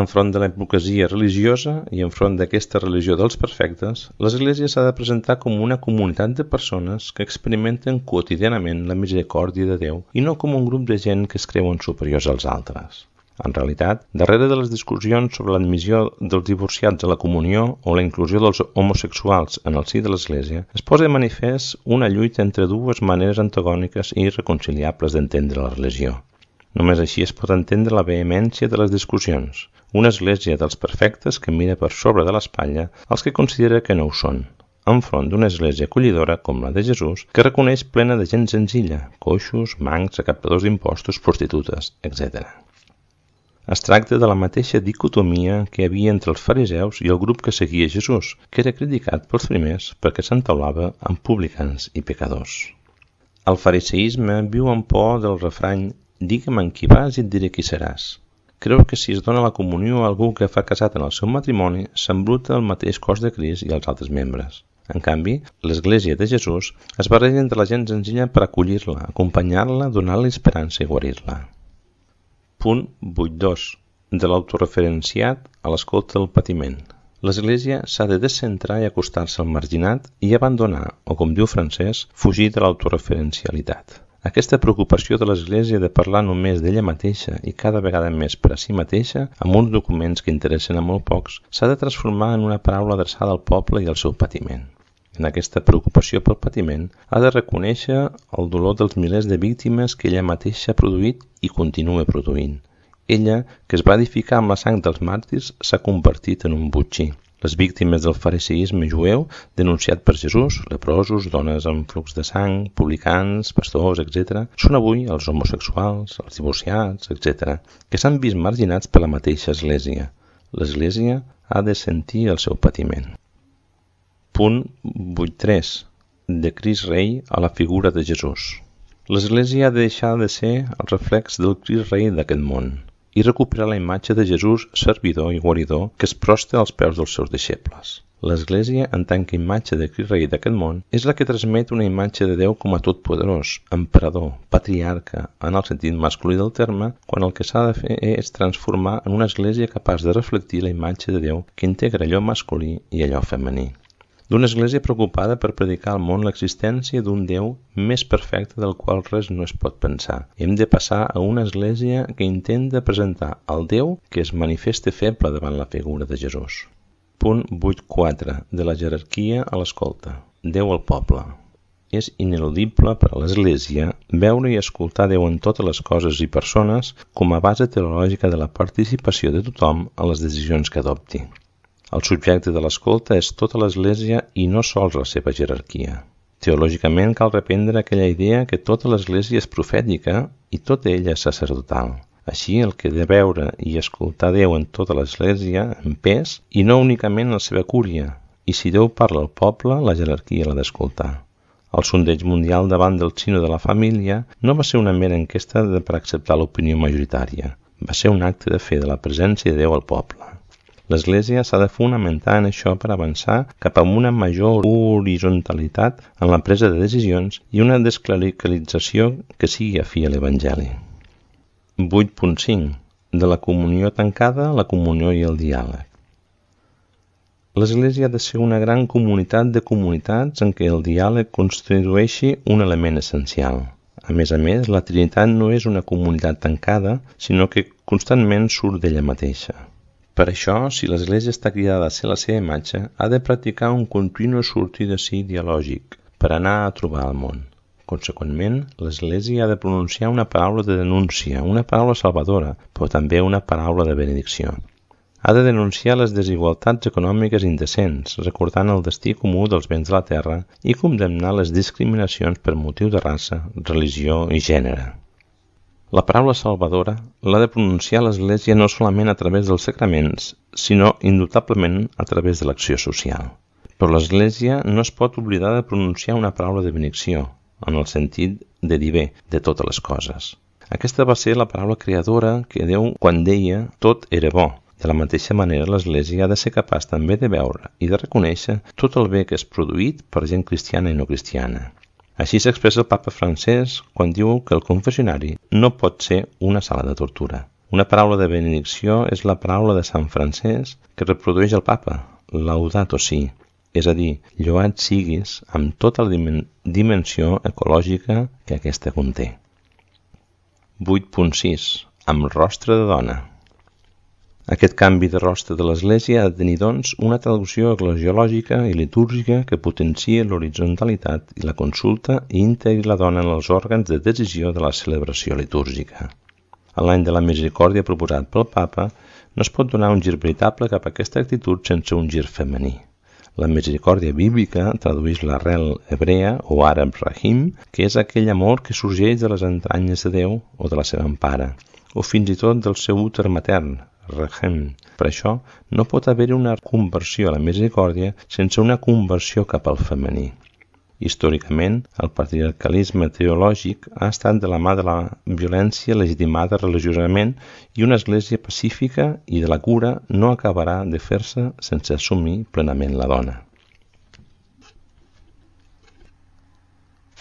Enfront de la hipocresia religiosa i enfront d'aquesta religió dels perfectes, l'Església s'ha de presentar com una comunitat de persones que experimenten quotidianament la misericòrdia de Déu i no com un grup de gent que es creuen superiors als altres. En realitat, darrere de les discussions sobre l'admissió dels divorciats a la comunió o la inclusió dels homosexuals en el si de l'Església, es posa de manifest una lluita entre dues maneres antagòniques i irreconciliables d'entendre la religió. Només així es pot entendre la vehemència de les discussions, una Església dels perfectes que mira per sobre de l'espatlla als que considera que no ho són, enfront d'una Església acollidora com la de Jesús, que reconeix plena de gent senzilla, coixos, mancs, recaptadors d'impostos, prostitutes, etcètera. Es tracta de la mateixa dicotomia que hi havia entre els fariseus i el grup que seguia Jesús, que era criticat pels primers perquè s'entaulava amb publicans i pecadors. El fariseisme viu amb por del refrany «Digue'm en qui vas i et diré qui seràs». Creu que si es dona la comunió a algú que fa casat en el seu matrimoni, s'embruta el mateix cos de Crist i els altres membres. En canvi, l'Església de Jesús es barreja entre la gent senzilla per acollir-la, acompanyar-la, donar-li esperança i guarir-la. Punt vuit dos. De l'autoreferenciat a l'escolta del patiment. L'Església s'ha de descentrar i acostar-se al marginat i abandonar, o com diu Francès, fugir de l'autoreferencialitat. Aquesta preocupació de l'Església de parlar només d'ella mateixa i cada vegada més per a si mateixa, amb uns documents que interessen a molt pocs, s'ha de transformar en una paraula adreçada al poble i al seu patiment. En aquesta preocupació pel patiment, ha de reconèixer el dolor dels milers de víctimes que ella mateixa ha produït i continua produint. Ella, que es va edificar amb la sang dels màrtirs, s'ha convertit en un botxí. Les víctimes del fariseisme jueu, denunciat per Jesús, leprosos, dones amb flux de sang, publicans, pastors, etcètera, són avui els homosexuals, els divorciats, etcètera, que s'han vist marginats per la mateixa Església. L'Església ha de sentir el seu patiment. Punt vuit tres. De Crist Rei a la figura de Jesús. L'Església ha de deixar de ser el reflex del Crist Rei d'aquest món i recuperar la imatge de Jesús servidor i guaridor que es prosta als peus dels seus deixebles. L'Església, en tant que imatge de Crist Rei d'aquest món, és la que transmet una imatge de Déu com a totpoderós, emperador, patriarca, en el sentit masculí del terme, quan el que s'ha de fer és transformar en una Església capaç de reflectir la imatge de Déu que integra allò masculí i allò femení. D'una Església preocupada per predicar al món l'existència d'un Déu més perfecte del qual res no es pot pensar. Hem de passar a una Església que intenta presentar el Déu que es manifesta feble davant la figura de Jesús. Punt vuit quatre. De la jerarquia a l'escolta. Déu al poble. És ineludible per a l'Església veure i escoltar Déu en totes les coses i persones com a base teològica de la participació de tothom a les decisions que adopti. El subjecte de l'escolta és tota l'Església i no sols la seva jerarquia. Teològicament cal reprendre aquella idea que tota l'Església és profètica i tota ella és sacerdotal. Així, el que ha de veure i escoltar Déu en tota l'Església en pes i no únicament la seva cúria, i si Déu parla al poble, la jerarquia l'ha d'escoltar. El sondeig mundial davant del Sino de la Família no va ser una mera enquesta per acceptar l'opinió majoritària. va ser un acte de fe de la presència de Déu al poble. L'Església s'ha de fonamentar en això per avançar cap a una major horitzontalitat en la presa de decisions i una desclericalització que sigui afí a l'Evangeli. vuit punt cinc. De la comunió tancada, la comunió i el diàleg. L'Església ha de ser una gran comunitat de comunitats en què el diàleg constitueixi un element essencial. A més a més, la Trinitat no és una comunitat tancada, sinó que constantment surt d'ella mateixa. Per això, si l'Església està cridada a ser la seva imatge, ha de practicar un continu sortir de si dialògic per anar a trobar el món. Conseqüentment, l'Església ha de pronunciar una paraula de denúncia, una paraula salvadora, però també una paraula de benedicció. Ha de denunciar les desigualtats econòmiques indecents, recordant el destí comú dels béns de la terra i condemnar les discriminacions per motiu de raça, religió i gènere. La paraula salvadora l'ha de pronunciar l'Església no solament a través dels sacraments, sinó indubtablement a través de l'acció social. Però l'Església no es pot oblidar de pronunciar una paraula de benedicció, en el sentit de dir bé de totes les coses. Aquesta va ser la paraula creadora que Déu quan deia tot era bo. De la mateixa manera, l'Església ha de ser capaç també de veure i de reconèixer tot el bé que és produït per gent cristiana i no cristiana. Així s'expressa el papa Francesc quan diu que el confessionari no pot ser una sala de tortura. Una paraula de benedicció és la paraula de Sant Francesc que reprodueix el papa, Laudato Si, és a dir, lloat siguis amb tota la dimensió ecològica que aquesta conté. vuit punt sis. Amb rostre de dona. Aquest canvi de rostre de l'Església ha de tenir, doncs, una traducció eclesiològica i litúrgica que potenciï l'horitzontalitat i la consulta i integri la dona en els òrgans de decisió de la celebració litúrgica. A l'any de la misericòrdia proposat pel papa, no es pot donar un gir veritable cap a aquesta actitud sense un gir femení. La misericòrdia bíblica tradueix l'arrel hebrea o àrab rahim, que és aquell amor que sorgeix de les entranyes de Déu o de la seva empara, o fins i tot del seu úter matern, Rehem. Per això, no pot haver-hi una conversió a la misericòrdia sense una conversió cap al femení. Històricament, el patriarcalisme teològic ha estat de la mà de la violència legitimada religiosament i una església pacífica i de la cura no acabarà de fer-se sense assumir plenament la dona.